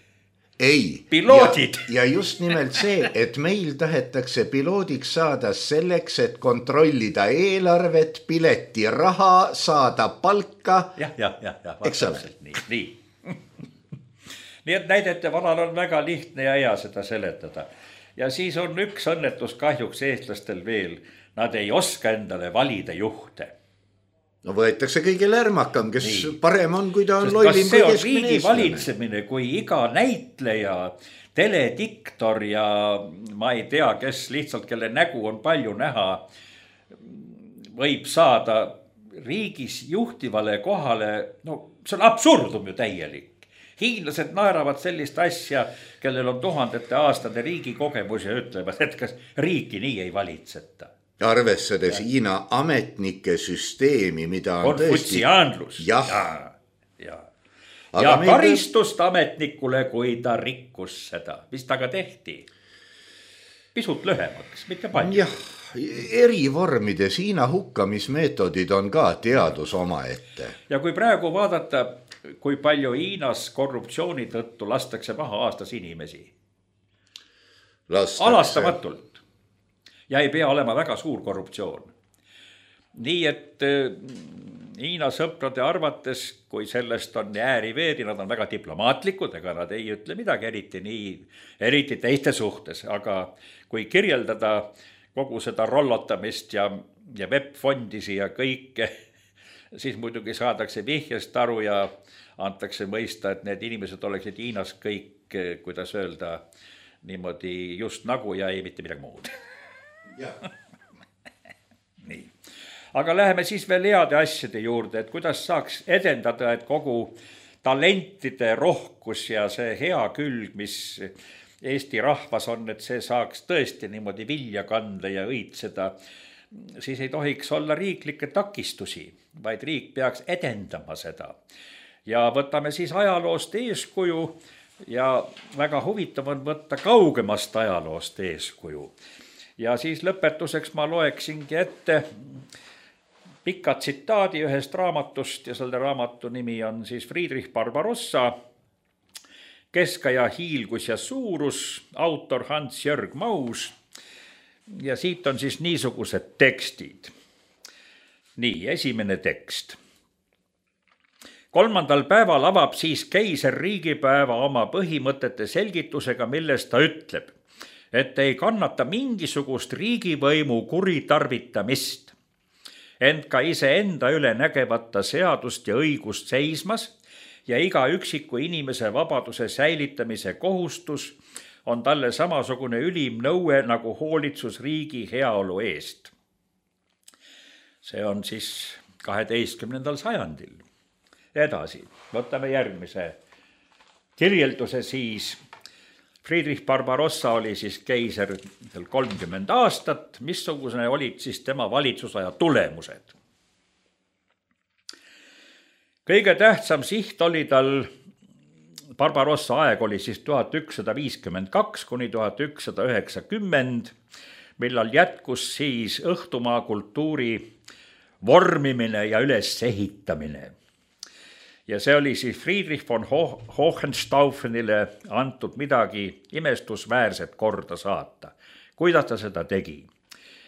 piloodid. Ja just nimelt see, et meil tahetakse piloodiks saada selleks, et kontrollida eelarvet, pileti raha, saada palka. Eks ole? Nii. Nii et näidete valal on väga lihtne ja hea seda seletada. Ja siis on üks õnnetus kahjuks eestlastel veel. Nad ei oska endale valida juhte. No võetakse kõige lärmakam, kes parem on, kui ta on lollim kui keskmine eestlane. Kas see on riigi valitsemine, kui iga näitleja, telediktor ja ma ei tea, kes lihtsalt, kelle nägu on palju näha, võib saada riigis juhtivale kohale, no see on absurdum ju täielik. Hiinlased naeravad sellist asja, kellel on tuhandete aastade riigi kogemus ja ütlevad, et kas riiki nii ei valitseta. Arvestades Hiina ametnike süsteemi, mida on tõesti... Konfutsiaanlus. Ja karistust ametnikule, kui ta rikkus seda. Mis taga tehti? Pisut lühemaks, mitte palju. Jah, eri vormides Hiina hukkamismeetodid on ka teadus omaette. Ja kui praegu vaadata, kui palju Hiinas korruptsiooni tõttu lastakse maha aastas inimesi. Alastamatult. Ja ei pea olema väga suur korruptsioon. Nii et Hiina sõprade arvates, kui sellest on ääri-veeri, nad on väga diplomaatlikud, ega nad ei ütle midagi eriti teiste suhtes. Aga kui kirjeldada kogu seda rollotamist ja web-fondisi ja kõike, siis muidugi saadakse vihjest aru ja antakse mõista, et need inimesed oleksid Hiinas kõik, kuidas öelda, niimoodi just nagu ja ei mitte midagi muud. Nii. Aga läheme siis veel heade asjade juurde, et kuidas saaks edendada, et kogu talentide rohkus ja see hea külg, mis Eesti rahvas on, et see saaks tõesti niimoodi vilja kanda ja õitseda, siis ei tohiks olla riiklikke takistusi, vaid riik peaks edendama seda. Ja võtame siis ajaloost eeskuju ja väga huvitav on võtta kaugemast ajaloost eeskuju. Ja siis lõpetuseks ma loeksingi ette pika tsitaadi ühest raamatust ja selle raamatu nimi on siis Friedrich Barbarossa, Keskaja hiilgus ja suurus, autor Hans-Jörg Maus. Ja siit on siis niisugused tekstid. Nii, esimene tekst. 3. päeval avab siis keiser riigipäeva oma põhimõtete selgitusega, milles ta ütleb, et ei kannata mingisugust riigivõimu kuritarvitamist, ent ka iseenda üle nägevata seadust ja õigust seismas ja iga üksiku inimese vabaduse säilitamise kohustus on talle samasugune ülim nõue nagu hoolitsus riigi heaolu eest. See on siis 12. sajandil. Edasi, võtame järgmise kirjelduse siis. Friedrich Barbarossa oli siis keiser 30 aastat, missugune olid siis tema valitsusaja tulemused. Kõige tähtsam siht oli tal, Barbarossa aeg oli siis 1152 kuni 1190, millal jätkus siis õhtumaa kultuuri vormimine ja ülesehitamine. Ja see oli siis Friedrich von Hohenstaufenile antud midagi imestusväärset korda saata. Kuidas ta seda tegi?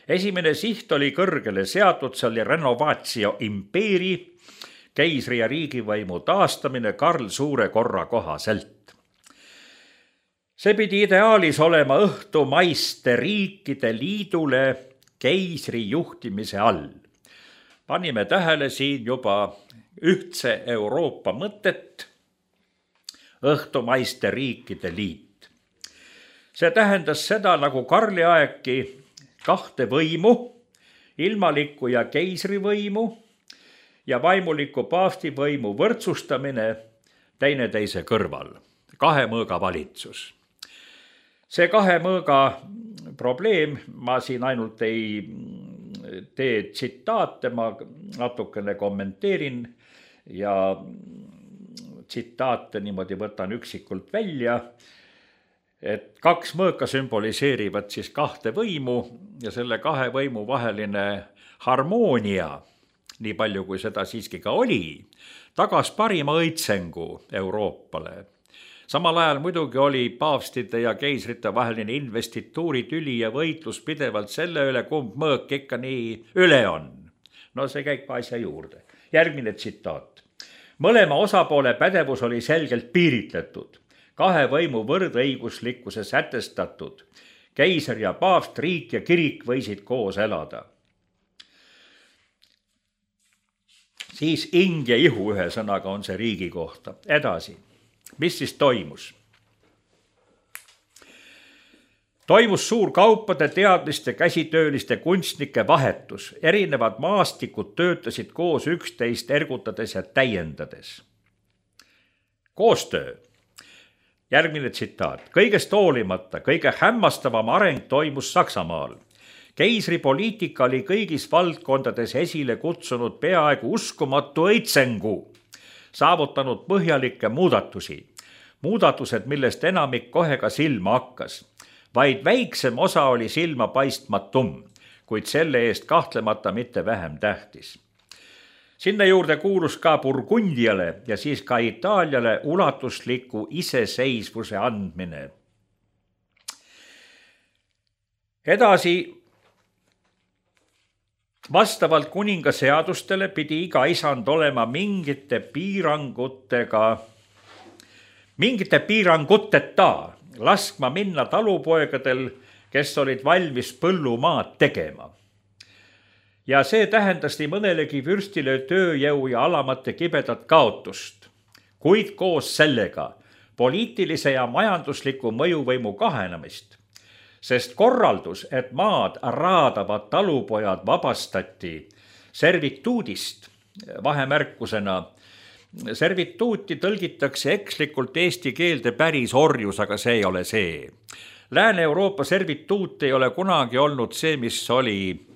Esimene siht oli kõrgele seatud, see oli renovatio impeeri, keisri ja riigivõimu taastamine Karl Suure korra kohaselt. See pidi ideaalis olema õhtumaiste riikide liidule keisri juhtimise all. Panime tähele siin juba ühtse Euroopa mõtet, õhtumaiste riikide liit. See tähendas seda nagu Karli aegki kahte võimu, ilmalikku ja keisrivõimu ja vaimuliku paavstivõimu võrdsustamine teineteise kõrval, kahe mõõga valitsus. See kahe mõõga probleem, ma siin ainult ei tee tsitaate, ma natukene kommenteerin ja tsitaate niimoodi võtan üksikult välja, et kaks mõõka sümboliseerivad siis kahte võimu ja selle kahe võimu vaheline harmoonia, nii palju kui seda siiski ka oli, tagas parima õitsengu Euroopale. Samal ajal muidugi oli paavstide ja keisrite vaheline investituuritüli ja võitlus pidevalt selle üle, kumb mõõk ikka nii üle on. No see käib asja juurde. Järgmine tsitaat. Mõlema osapoole pädevus oli selgelt piiritletud, kahe võimu võrdõiguslikkuse sätestatud. Keiser ja paavst, riik ja kirik võisid koos elada. Siis ing ja ihu ühe sõnaga on see riigi kohta. Edasi. Mis siis toimus? Toimus suur kaupade, teadliste, käsitööliste, kunstnike vahetus. Erinevad maastikud töötasid koos üksteist ergutades ja täiendades. Koostöö. Järgmine tsitaat. Kõigest hoolimata, kõige hämmastavam areng toimus Saksamaal. Keisri poliitika oli kõigis valdkondades esile kutsunud peaaegu uskumatu õitsengu, saavutanud põhjalikke muudatusi. Muudatused, millest enamik kohe ka silma hakkas. Vaid väiksem osa oli silma paistmatum, kuid selle eest kahtlemata mitte vähem tähtis. Sinna juurde kuulus ka Burgundiale ja siis ka Itaaliale ulatusliku iseseisvuse andmine. Edasi, vastavalt kuninga seadustele pidi iga isand olema mingite piiranguteta laskma minna talupoegadel, kes olid valmis põllumaad tegema. Ja see tähendas nii mõnelegi vürstile tööjõu ja alamate kibedat kaotust, kuid koos sellega poliitilise ja majandusliku mõjuvõimu kahenemist. sest korraldus, et maad raadavad talupojad vabastati servituudist, vahemärkusena. Servituuti tõlgitakse ekslikult eesti keelde päris orjus, aga see ei ole see. Lääne-Euroopa servituut ei ole kunagi olnud see, mis oli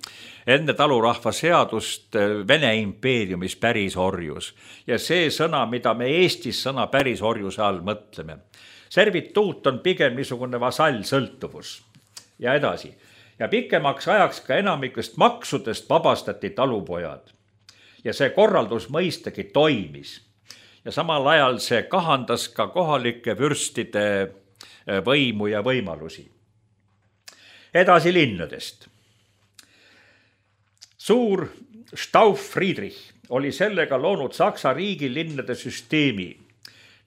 enne talurahva seadust Vene impeeriumis päris orjus. Ja see sõna, mida me Eestis sõna päris orjuse all mõtleme. Servituut on pigem niisugune vasallsõltuvus. Ja edasi. Ja pikemaks ajaks ka enamikest maksudest vabastati talupojad. Ja see korraldus mõistagi toimis. Ja samal ajal see kahandas ka kohalike vürstide võimu ja võimalusi. Edasi linnadest. Suur Stauf Friedrich oli sellega loonud Saksa riigi linnade süsteemi,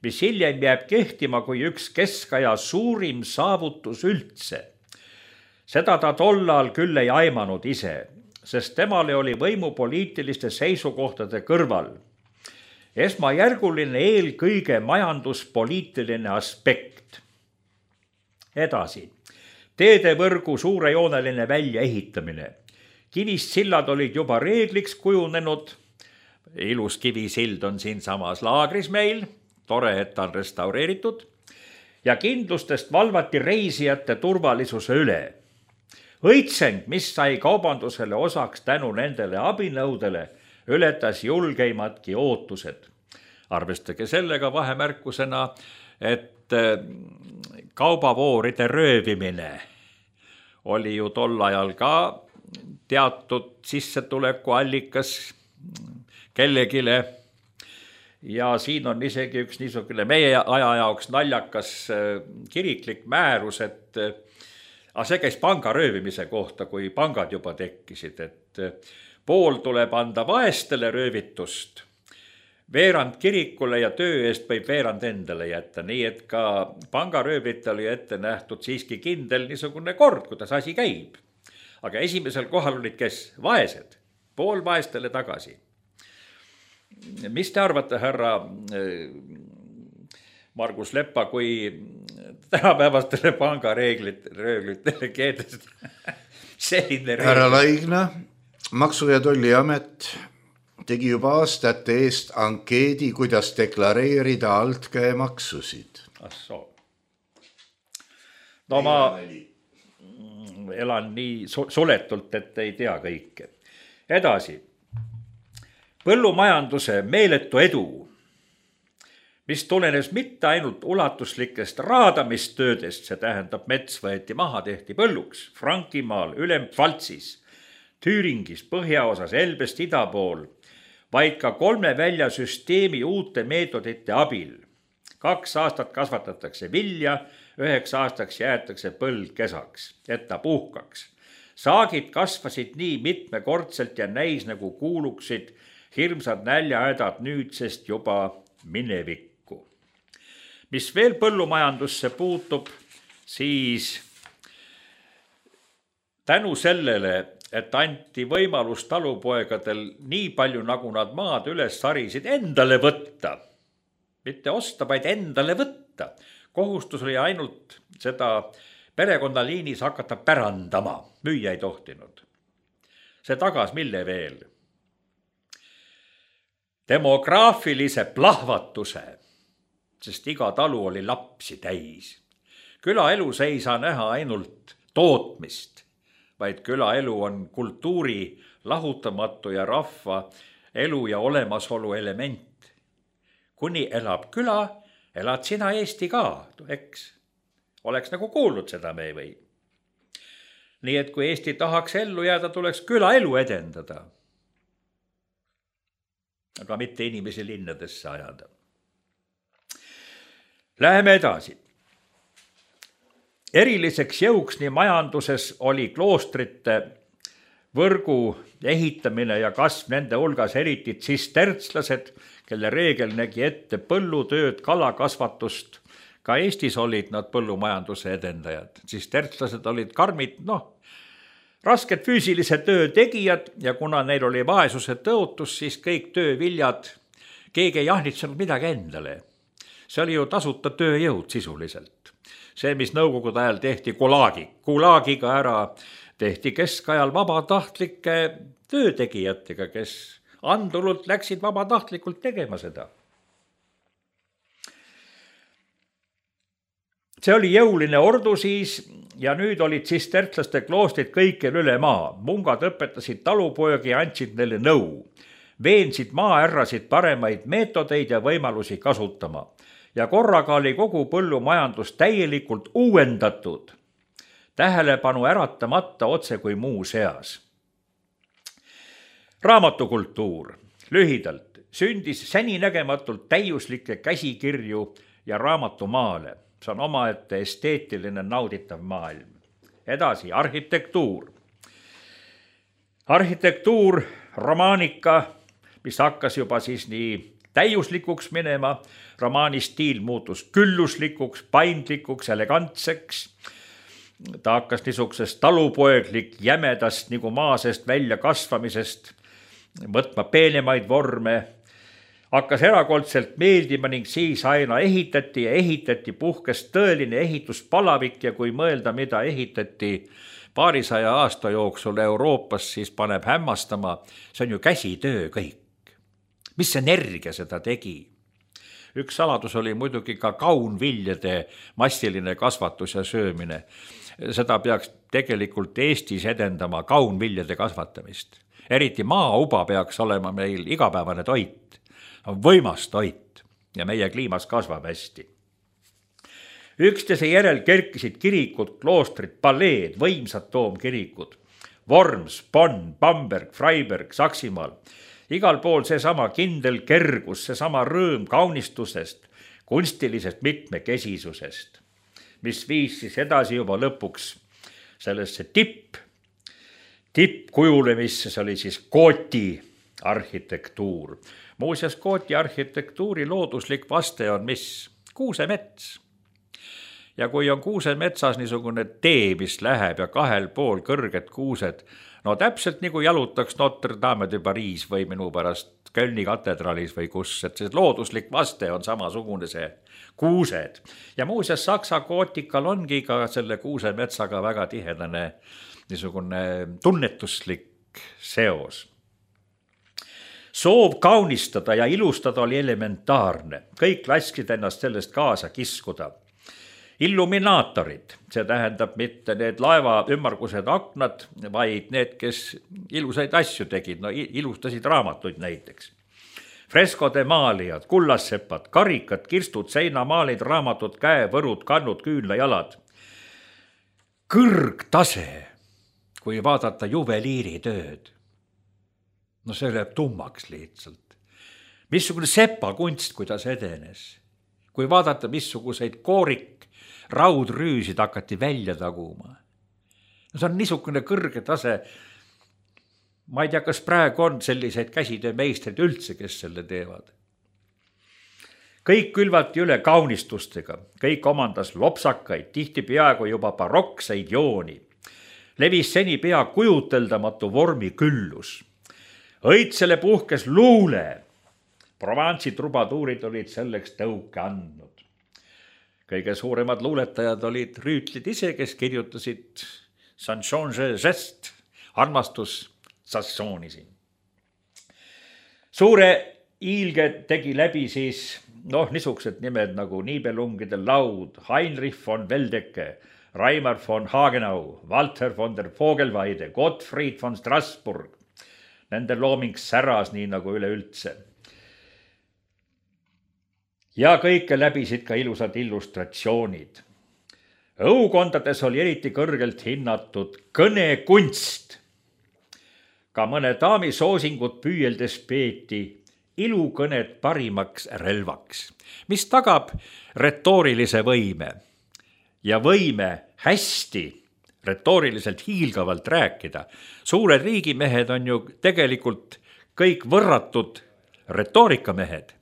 mis hiljem jääb kehtima kui üks keskaja suurim saavutus üldse. Seda ta tollal küll ei aimanud ise, sest temale oli võimupoliitiliste seisukohtade kõrval esmajärguline eelkõige majanduspoliitiline aspekt. Edasi, teedevõrgu suurejooneline väljaehitamine. Kivist sillad olid juba reegliks kujunenud. Ilus kivisild on siin samas laagris meil, tore, et ta on restaureeritud. Ja kindlustest valvati reisijate turvalisuse üle. Õitseng, mis sai kaubandusele osaks tänu nendele abinõudele, ületas julgeimadki ootused. Arvestage sellega vahemärkusena, et kaubavooride röövimine oli ju tol ajal ka teatud sissetulekuallikas kellegile. Ja siin on isegi üks niisugune meie aja jaoks naljakas kiriklik määrus, et see käis panga röövimise kohta, kui pangad juba tekkisid, et pool tuleb anda vaestele röövitust, veerand kirikule ja töö eest võib veerand endale jätta, nii et ka pangaröövlitel oli ette nähtud siiski kindel niisugune kord, kuidas asi käib. Aga esimesel kohal olid kes? Vaesed, pool vaestele tagasi. Mis te arvate, härra Margus Leppa, kui tänapäevastele pangareeglitele keedest selline reegel? Härra Laigna, Maksu- ja Tolliamet tegi juba aastate eest ankeedi, kuidas deklareerida altkäemaksusid. No ma elan nii suletult, et ei tea kõike. Edasi. Põllumajanduse meeletu edu, mis tulenes mitte ainult ulatuslikest raadamistöödest, see tähendab mets võeti maha, tehti põlluks, Frankimaal, Ülem-Pfaltsis, Tüüringis, põhjaosas, Elbest ida pool, vaid ka 3 väljasüsteemi uute meetodite abil. 2 aastat kasvatatakse vilja, 9 aastaks jäetakse põld kesaks, et ta puhkaks. Saagid kasvasid nii mitmekordselt ja näis nagu kuuluksid hirmsad näljahädad nüüdsest juba minevikku. Mis veel põllumajandusse puutub, siis tänu sellele, et anti võimalus talupoegadel nii palju, nagu nad maad üles sarisid, endale võtta. Mitte osta, vaid endale võtta. Kohustus oli ainult seda perekonnaliinis hakata pärandama, müüa ei tohtinud. See tagas mille veel? Demograafilise plahvatuse, sest iga talu oli lapsi täis. Külaelus ei saa näha ainult tootmist, vaid külaelu on kultuuri lahutamatu ja rahva elu ja olemasolu element. Kuni elab küla, elad sina Eesti ka, eks? Oleks nagu kuulnud seda me või? Nii et kui Eesti tahaks ellu jääda, tuleks külaelu edendada. Aga mitte inimesi linnadesse ajada. Läheme edasi. Eriliseks jõuks nii majanduses oli kloostrite võrgu ehitamine ja kasv nende hulgas eriti tsistertslased, kelle reegel nägi ette põllutööd, kalakasvatust. Ka Eestis olid nad põllumajanduse edendajad. Tsistertslased olid karmid, rasked füüsilise töö tegijad ja kuna neil oli vaesuse tõotus, siis kõik tööviljad, keegi ei ahnitsenud midagi endale. See oli ju tasuta tööjõud sisuliselt. see, mis nõukogude ajal tehti Gulagiga ära, tehti keskajal vabatahtlike töötegijatega, kes andurult läksid vabatahtlikult tegema seda. See oli jõuline ordu siis ja nüüd olid tsistertlaste kloostrid kõikjal üle maa. Mungad õpetasid talupoegi ja andsid neile nõu. Veensid maaärrasid paremaid meetodeid ja võimalusi kasutama. Ja korraga oli kogu põllumajandus täielikult uuendatud, tähelepanu äratamata otse kui muu seas. Raamatukultuur. Lühidalt sündis säninägematult täiuslikke käsikirju ja raamatumaale. See on omaette esteetiline nauditav maailm. Edasi, arhitektuur. Arhitektuur, romaanika, mis hakkas juba siis nii täiuslikuks minema, romaani stiil muutus külluslikuks, paindlikuks, elegantseks. Ta hakkas niisugusest talupoeglik jämedast nagu maasest välja kasvamisest võtma peenemaid vorme. Hakkas erakordselt meeldima ning siis aina ehitati, puhkes tõeline ehituspalavik ja kui mõelda, mida ehitati paarisaja aasta jooksul Euroopas, siis paneb hämmastama, see on ju käsitöö kõik. Mis energia seda tegi? Üks saladus oli muidugi ka kaunviljade massiline kasvatus ja söömine. Seda peaks tegelikult Eestis edendama kaunviljade kasvatamist. Eriti maauba peaks olema meil igapäevane toit. On võimas toit ja meie kliimas kasvab hästi. Üksteise järel kerkisid kirikud, kloostrid, paleed, võimsad toomkirikud. Worms, Bonn, Bamberg, Freiberg, Saksimaal. Igal pool seesama kindel kergus, seesama rõõm kaunistusest, kunstilisest mitmekesisusest, mis viis siis edasi juba lõpuks sellesse tippkujulemisse, see oli siis Gooti arhitektuur. Muuseas, Gooti arhitektuuri looduslik vaste on mis? Kuusemets. Ja kui on kuusemetsas niisugune tee, mis läheb ja kahel pool kõrged kuused, no täpselt nagu jalutaks Notre Dame de Paris või minu pärast Kölni katedraalis või kus, et see looduslik vaste on samasugune see kuused. Ja muuseas, Saksa gootikal ongi ka selle kuusemetsaga väga tihedane niisugune tunnetuslik seos. Soov kaunistada ja ilustada oli elementaarne. Kõik lasksid ennast sellest kaasa kiskuda. Illuminaatorid, see tähendab mitte need laeva ümmargused aknad, vaid need, kes ilusaid asju tegid, no ilustasid raamatuid näiteks. Freskode maalijad, kullassepad, karikad, kirstud, seinamaalid, raamatud, käevõrud, kannud, küünlajalad. Kõrgtase, kui vaadata juveliiritööd. No see läheb tummaks lihtsalt. Missugune sepakunst, kuidas edenes. Kui vaadata, missuguseid raudrüüsid hakati välja taguma. No see on niisugune kõrge tase. Ma ei tea, kas praegu on selliseid käsitöömeistrid üldse, kes selle teevad. Kõik külvati üle kaunistustega. Kõik omandas lopsakaid, tihti peaaegu juba barokseid jooni. Levis seni pea kujuteldamatu vormi küllus. Õitsele puhkes luule. Provence'i trubatuurid olid selleks tõuke andnud. Kõige suuremad luuletajad olid rüütlid ise, kes kirjutasid Saint-Jean žest, armastus Sassoonisi. Suure iilge tegi läbi siis niisugused nimed nagu Nibelungide laud, Heinrich von Weldecke, Reimer von Hagenau, Walter von der Vogelweide, Gottfried von Strasbourg. Nende looming säras nii nagu üleüldse. Ja kõike läbisid ka ilusad illustratsioonid. Õukondades oli eriti kõrgelt hinnatud kõnekunst. Ka mõne daami soosingut püüeldes peeti ilukõnet parimaks relvaks, mis tagab retoorilise võime ja võime hästi retooriliselt hiilgavalt rääkida. Suured riigimehed on ju tegelikult kõik võrratud retoorikamehed.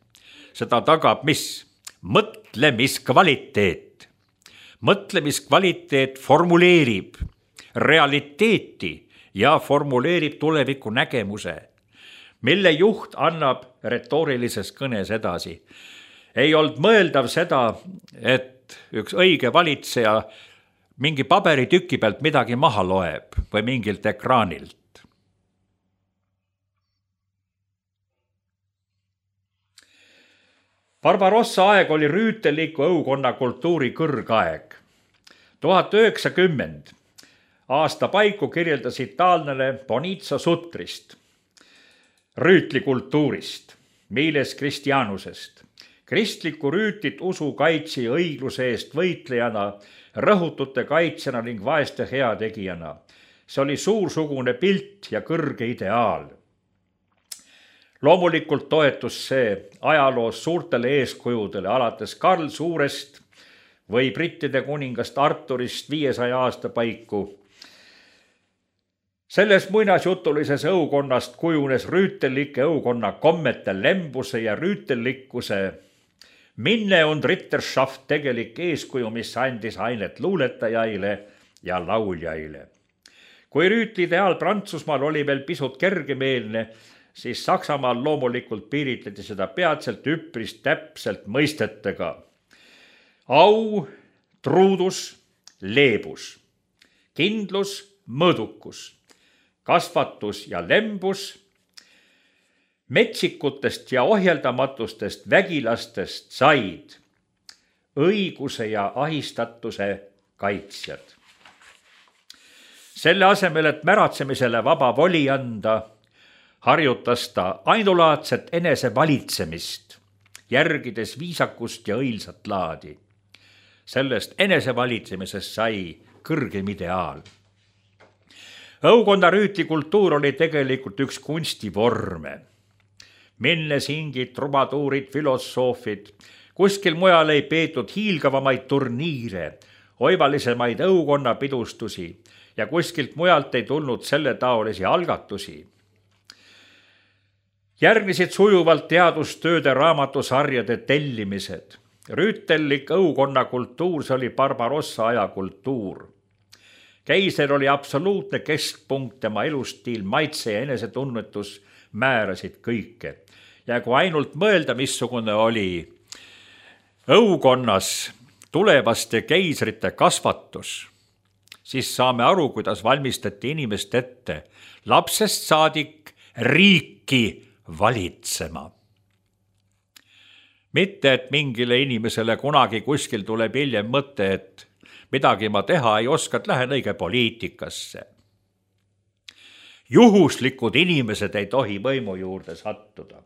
Seda tagab mis? Mõtlemiskvaliteet. Mõtlemiskvaliteet formuleerib realiteeti ja formuleerib tuleviku nägemuse, mille juht annab retoorilises kõnes edasi. Ei olnud mõeldav seda, et et üks õige valitseja mingi paberitüki pealt midagi maha loeb või mingilt ekraanilt. Barbarossa aeg oli rüütelliku õukonna kultuuri kõrgaeg. 1910 aasta paiku kirjeldas itaallane Bonizzo Sutrist, rüütlikultuurist, miles Christianusest, kristlikku rüütlit usu kaitsi ja õigluse eest võitlejana, rõhutute kaitsjana ning vaeste heategijana. See oli suursugune pilt ja kõrge ideaal. Loomulikult toetus see ajaloos suurtele eeskujudele, alates Karl Suurest või brittide kuningast Arturist 500 aasta paiku. Selles muinasjutulises õukonnast kujunes rüütellike õukonna kommete lembuse ja rüütellikkuse minne und Ritterschaft tegelik eeskuju, mis andis ainet luuletajaile ja lauljaile. Kui rüütlideaal Prantsusmaal oli veel pisut kergemeelne, siis Saksamaal loomulikult piiritleti seda peatselt üpris täpselt mõistetega. Au, truudus, leebus, kindlus, mõõdukus, kasvatus ja lembus, metsikutest ja ohjeldamatustest vägilastest said õiguse ja ahistatuse kaitsjad. Selle asemel, et märatsemisele vaba voli anda, harjutas ta ainulaadset enesevalitsemist, järgides viisakust ja õilsat laadi. Sellest enesevalitsemisest sai kõrgem ideaal. Õukonna rüütlikultuur oli tegelikult üks kunstivorme. Minnesingid, trubatuurid, filosoofid, kuskil mujal ei peetud hiilgavamaid turniire, oivalisemaid õukonna pidustusi ja kuskilt mujalt ei tulnud selle taolisi algatusi. Järgnesid sujuvalt teadustööde raamatusarjade tellimised. Rüütellik õukonna kultuur, see oli Barbarossa aja kultuur. Keiser oli absoluutne keskpunkt, tema elustiil, maitse ja enesetunnetus määrasid kõike. Ja kui ainult mõelda, missugune oli õukonnas tulevaste keisrite kasvatus, siis saame aru, kuidas valmistati inimest ette lapsest saadik riiki valitsema. Mitte, et mingile inimesele kunagi kuskil tuleb hiljem mõte, et midagi ma teha ei oska, et lähen õige poliitikasse. Juhuslikud inimesed ei tohi võimu juurde sattuda.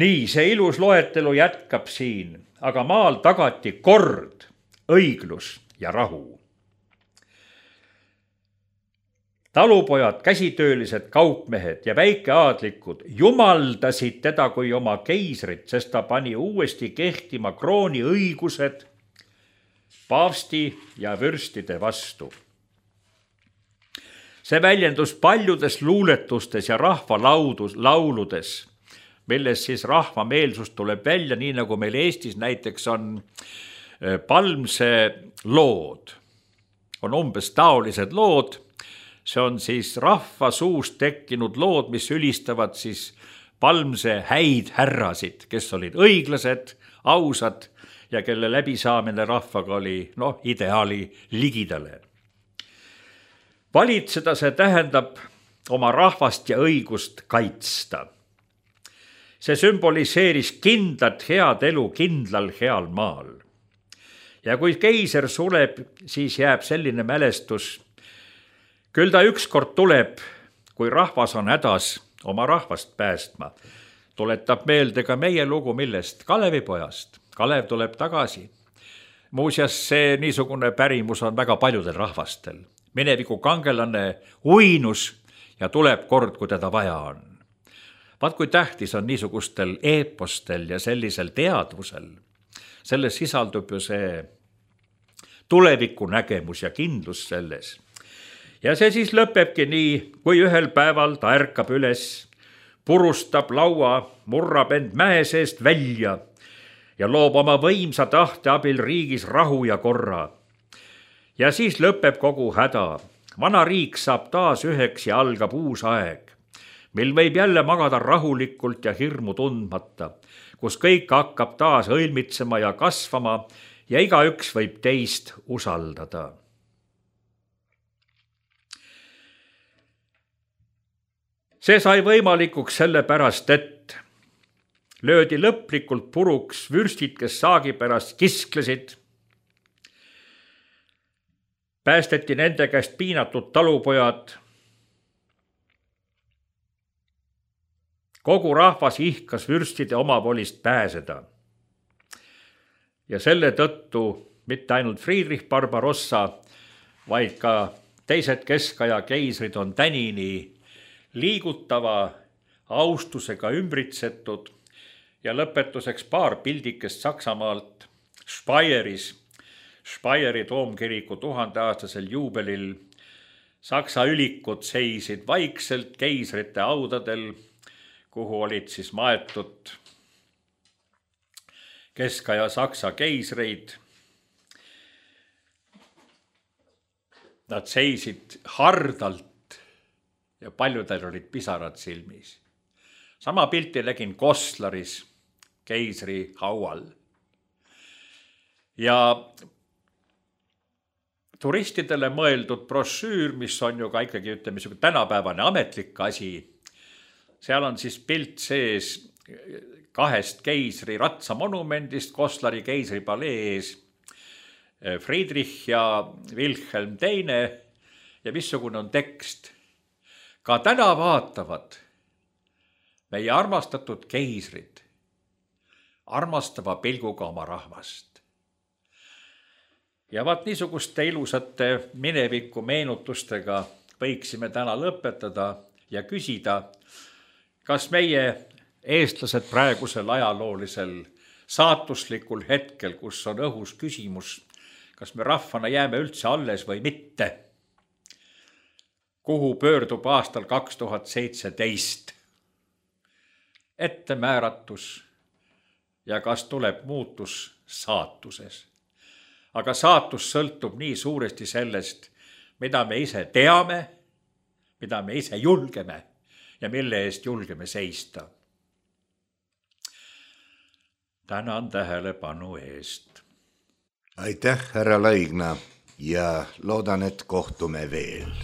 Nii, see ilus loetelu jätkab siin, aga maal tagati kord, õiglus ja rahu. Talupojad, käsitöölised, kaupmehed ja väikeaadlikud jumaldasid teda kui oma keisrit, sest ta pani uuesti kehtima krooni õigused paavsti ja vürstide vastu. See väljendus paljudes luuletustes ja rahvalauludes, milles siis rahvameelsus tuleb välja, nii nagu meil Eestis näiteks on Palmse lood. On umbes taolised lood. See on siis rahva suust tekkinud lood, mis ülistavad siis Palmse häid härrasid, kes olid õiglased, ausad ja kelle läbisaamine rahvaga oli ideaali ligidale. Valitseda see tähendab oma rahvast ja õigust kaitsta. See sümboliseeris kindlat head elu kindlal heal maal. Ja kui keiser sureb, siis jääb selline mälestus. Küll ta ükskord tuleb, kui rahvas on hädas oma rahvast päästma. Tuletab meelde ka meie lugu, millest Kalevipojast. Kalev tuleb tagasi. Muuseas, see niisugune pärimus on väga paljudel rahvastel. Mineviku kangelane uinus ja tuleb kord, kui teda vaja on. Vaat kui tähtis on niisugustel eepostel ja sellisel teadvusel. Selles sisaldub ju see tuleviku nägemus ja kindlus selles. Ja see siis lõpebki nii, kui ühel päeval ta ärkab üles, purustab laua, murrab end mäe seest välja ja loob oma võimsa tahte abil riigis rahu ja korra. Ja siis lõpeb kogu häda. Vana riik saab taas üheks ja algab uus aeg, mil võib jälle magada rahulikult ja hirmu tundmata, kus kõik hakkab taas õilmitsema ja kasvama ja igaüks võib teist usaldada. See sai võimalikuks sellepärast, et löödi lõplikult puruks vürstid, kes saagi pärast kisklesid. Päästeti nende käest piinatud talupojad. Kogu rahvas ihkas vürstide omavolist pääseda. Ja selle tõttu mitte ainult Friedrich Barbarossa, vaid ka teised keskaja keisrid on tänini liigutava austusega ümbritsetud ja lõpetuseks paar pildikest Saksamaalt Speyeris, Speyeri toomkiriku 1000-aastasel juubelil. Saksa ülikud seisid vaikselt keisrite audadel, kuhu olid siis maetud keskaja Saksa keisreid. Nad seisid hardalt ja paljudel olid pisarad silmis. Sama pilti nägin Koslaris keisri haual. Ja turistidele mõeldud brošüür, mis on ju ka ikkagi tänapäevane ametlik asi, seal on siis pilt sees 2 keisri ratsamonumendist Koslari keisripalee ees, Friedrich ja Wilhelm II ja missugune on tekst. Ka täna vaatavad meie armastatud keisrid armastava pilguga oma rahvast. Ja vaat niisuguste ilusate mineviku meenutustega võiksime täna lõpetada ja küsida, kas meie eestlased praegusel ajaloolisel saatuslikul hetkel, kus on õhus küsimus, kas me rahvana jääme üldse alles või mitte, kuhu pöördub aastal 2017 ettemääratus ja kas tuleb muutus saatuses. Aga saatus sõltub nii suuresti sellest, mida me ise teame, mida me ise julgeme ja mille eest julgeme seista. Tänan tähelepanu eest. Aitäh, härra Laigna, ja loodan, et kohtume veel.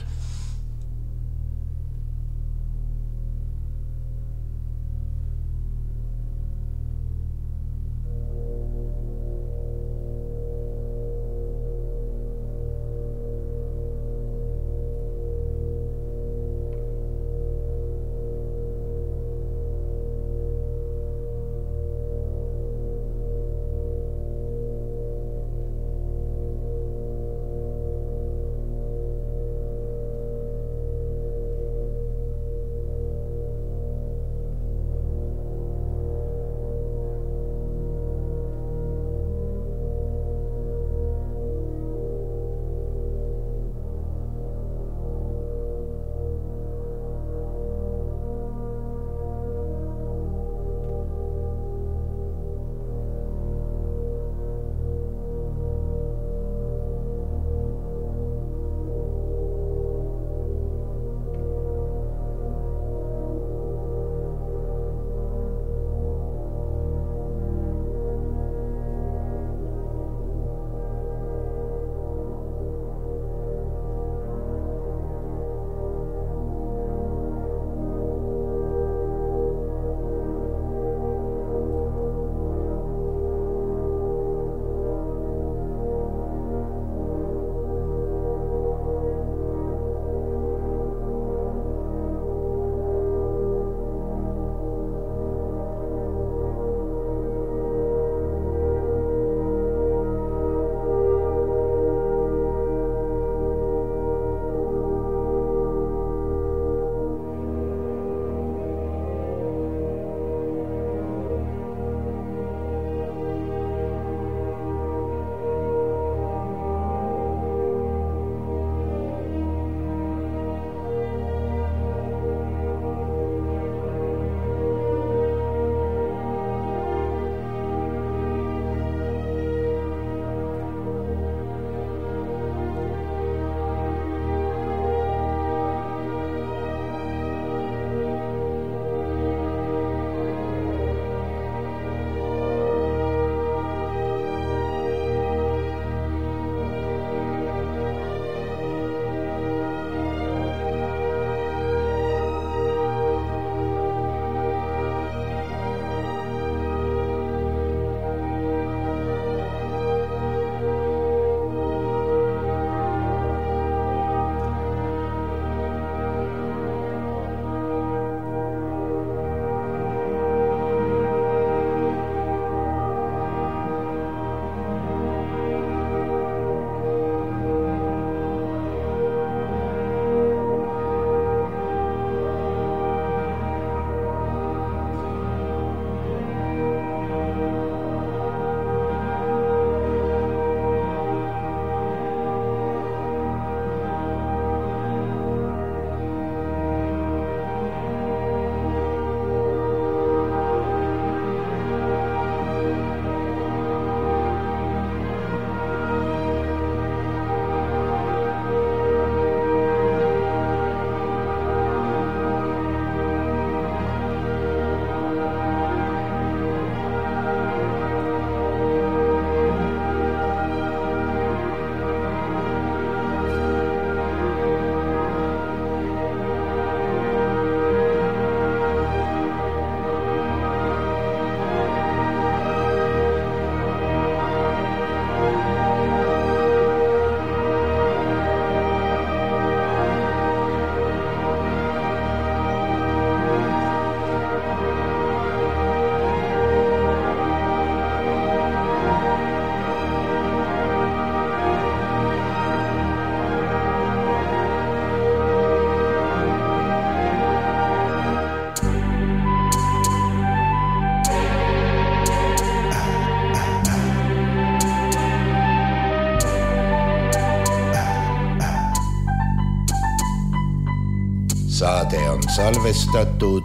saade on salvestatud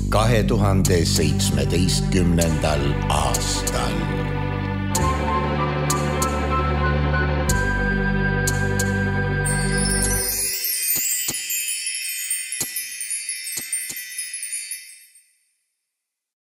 2017. aastal.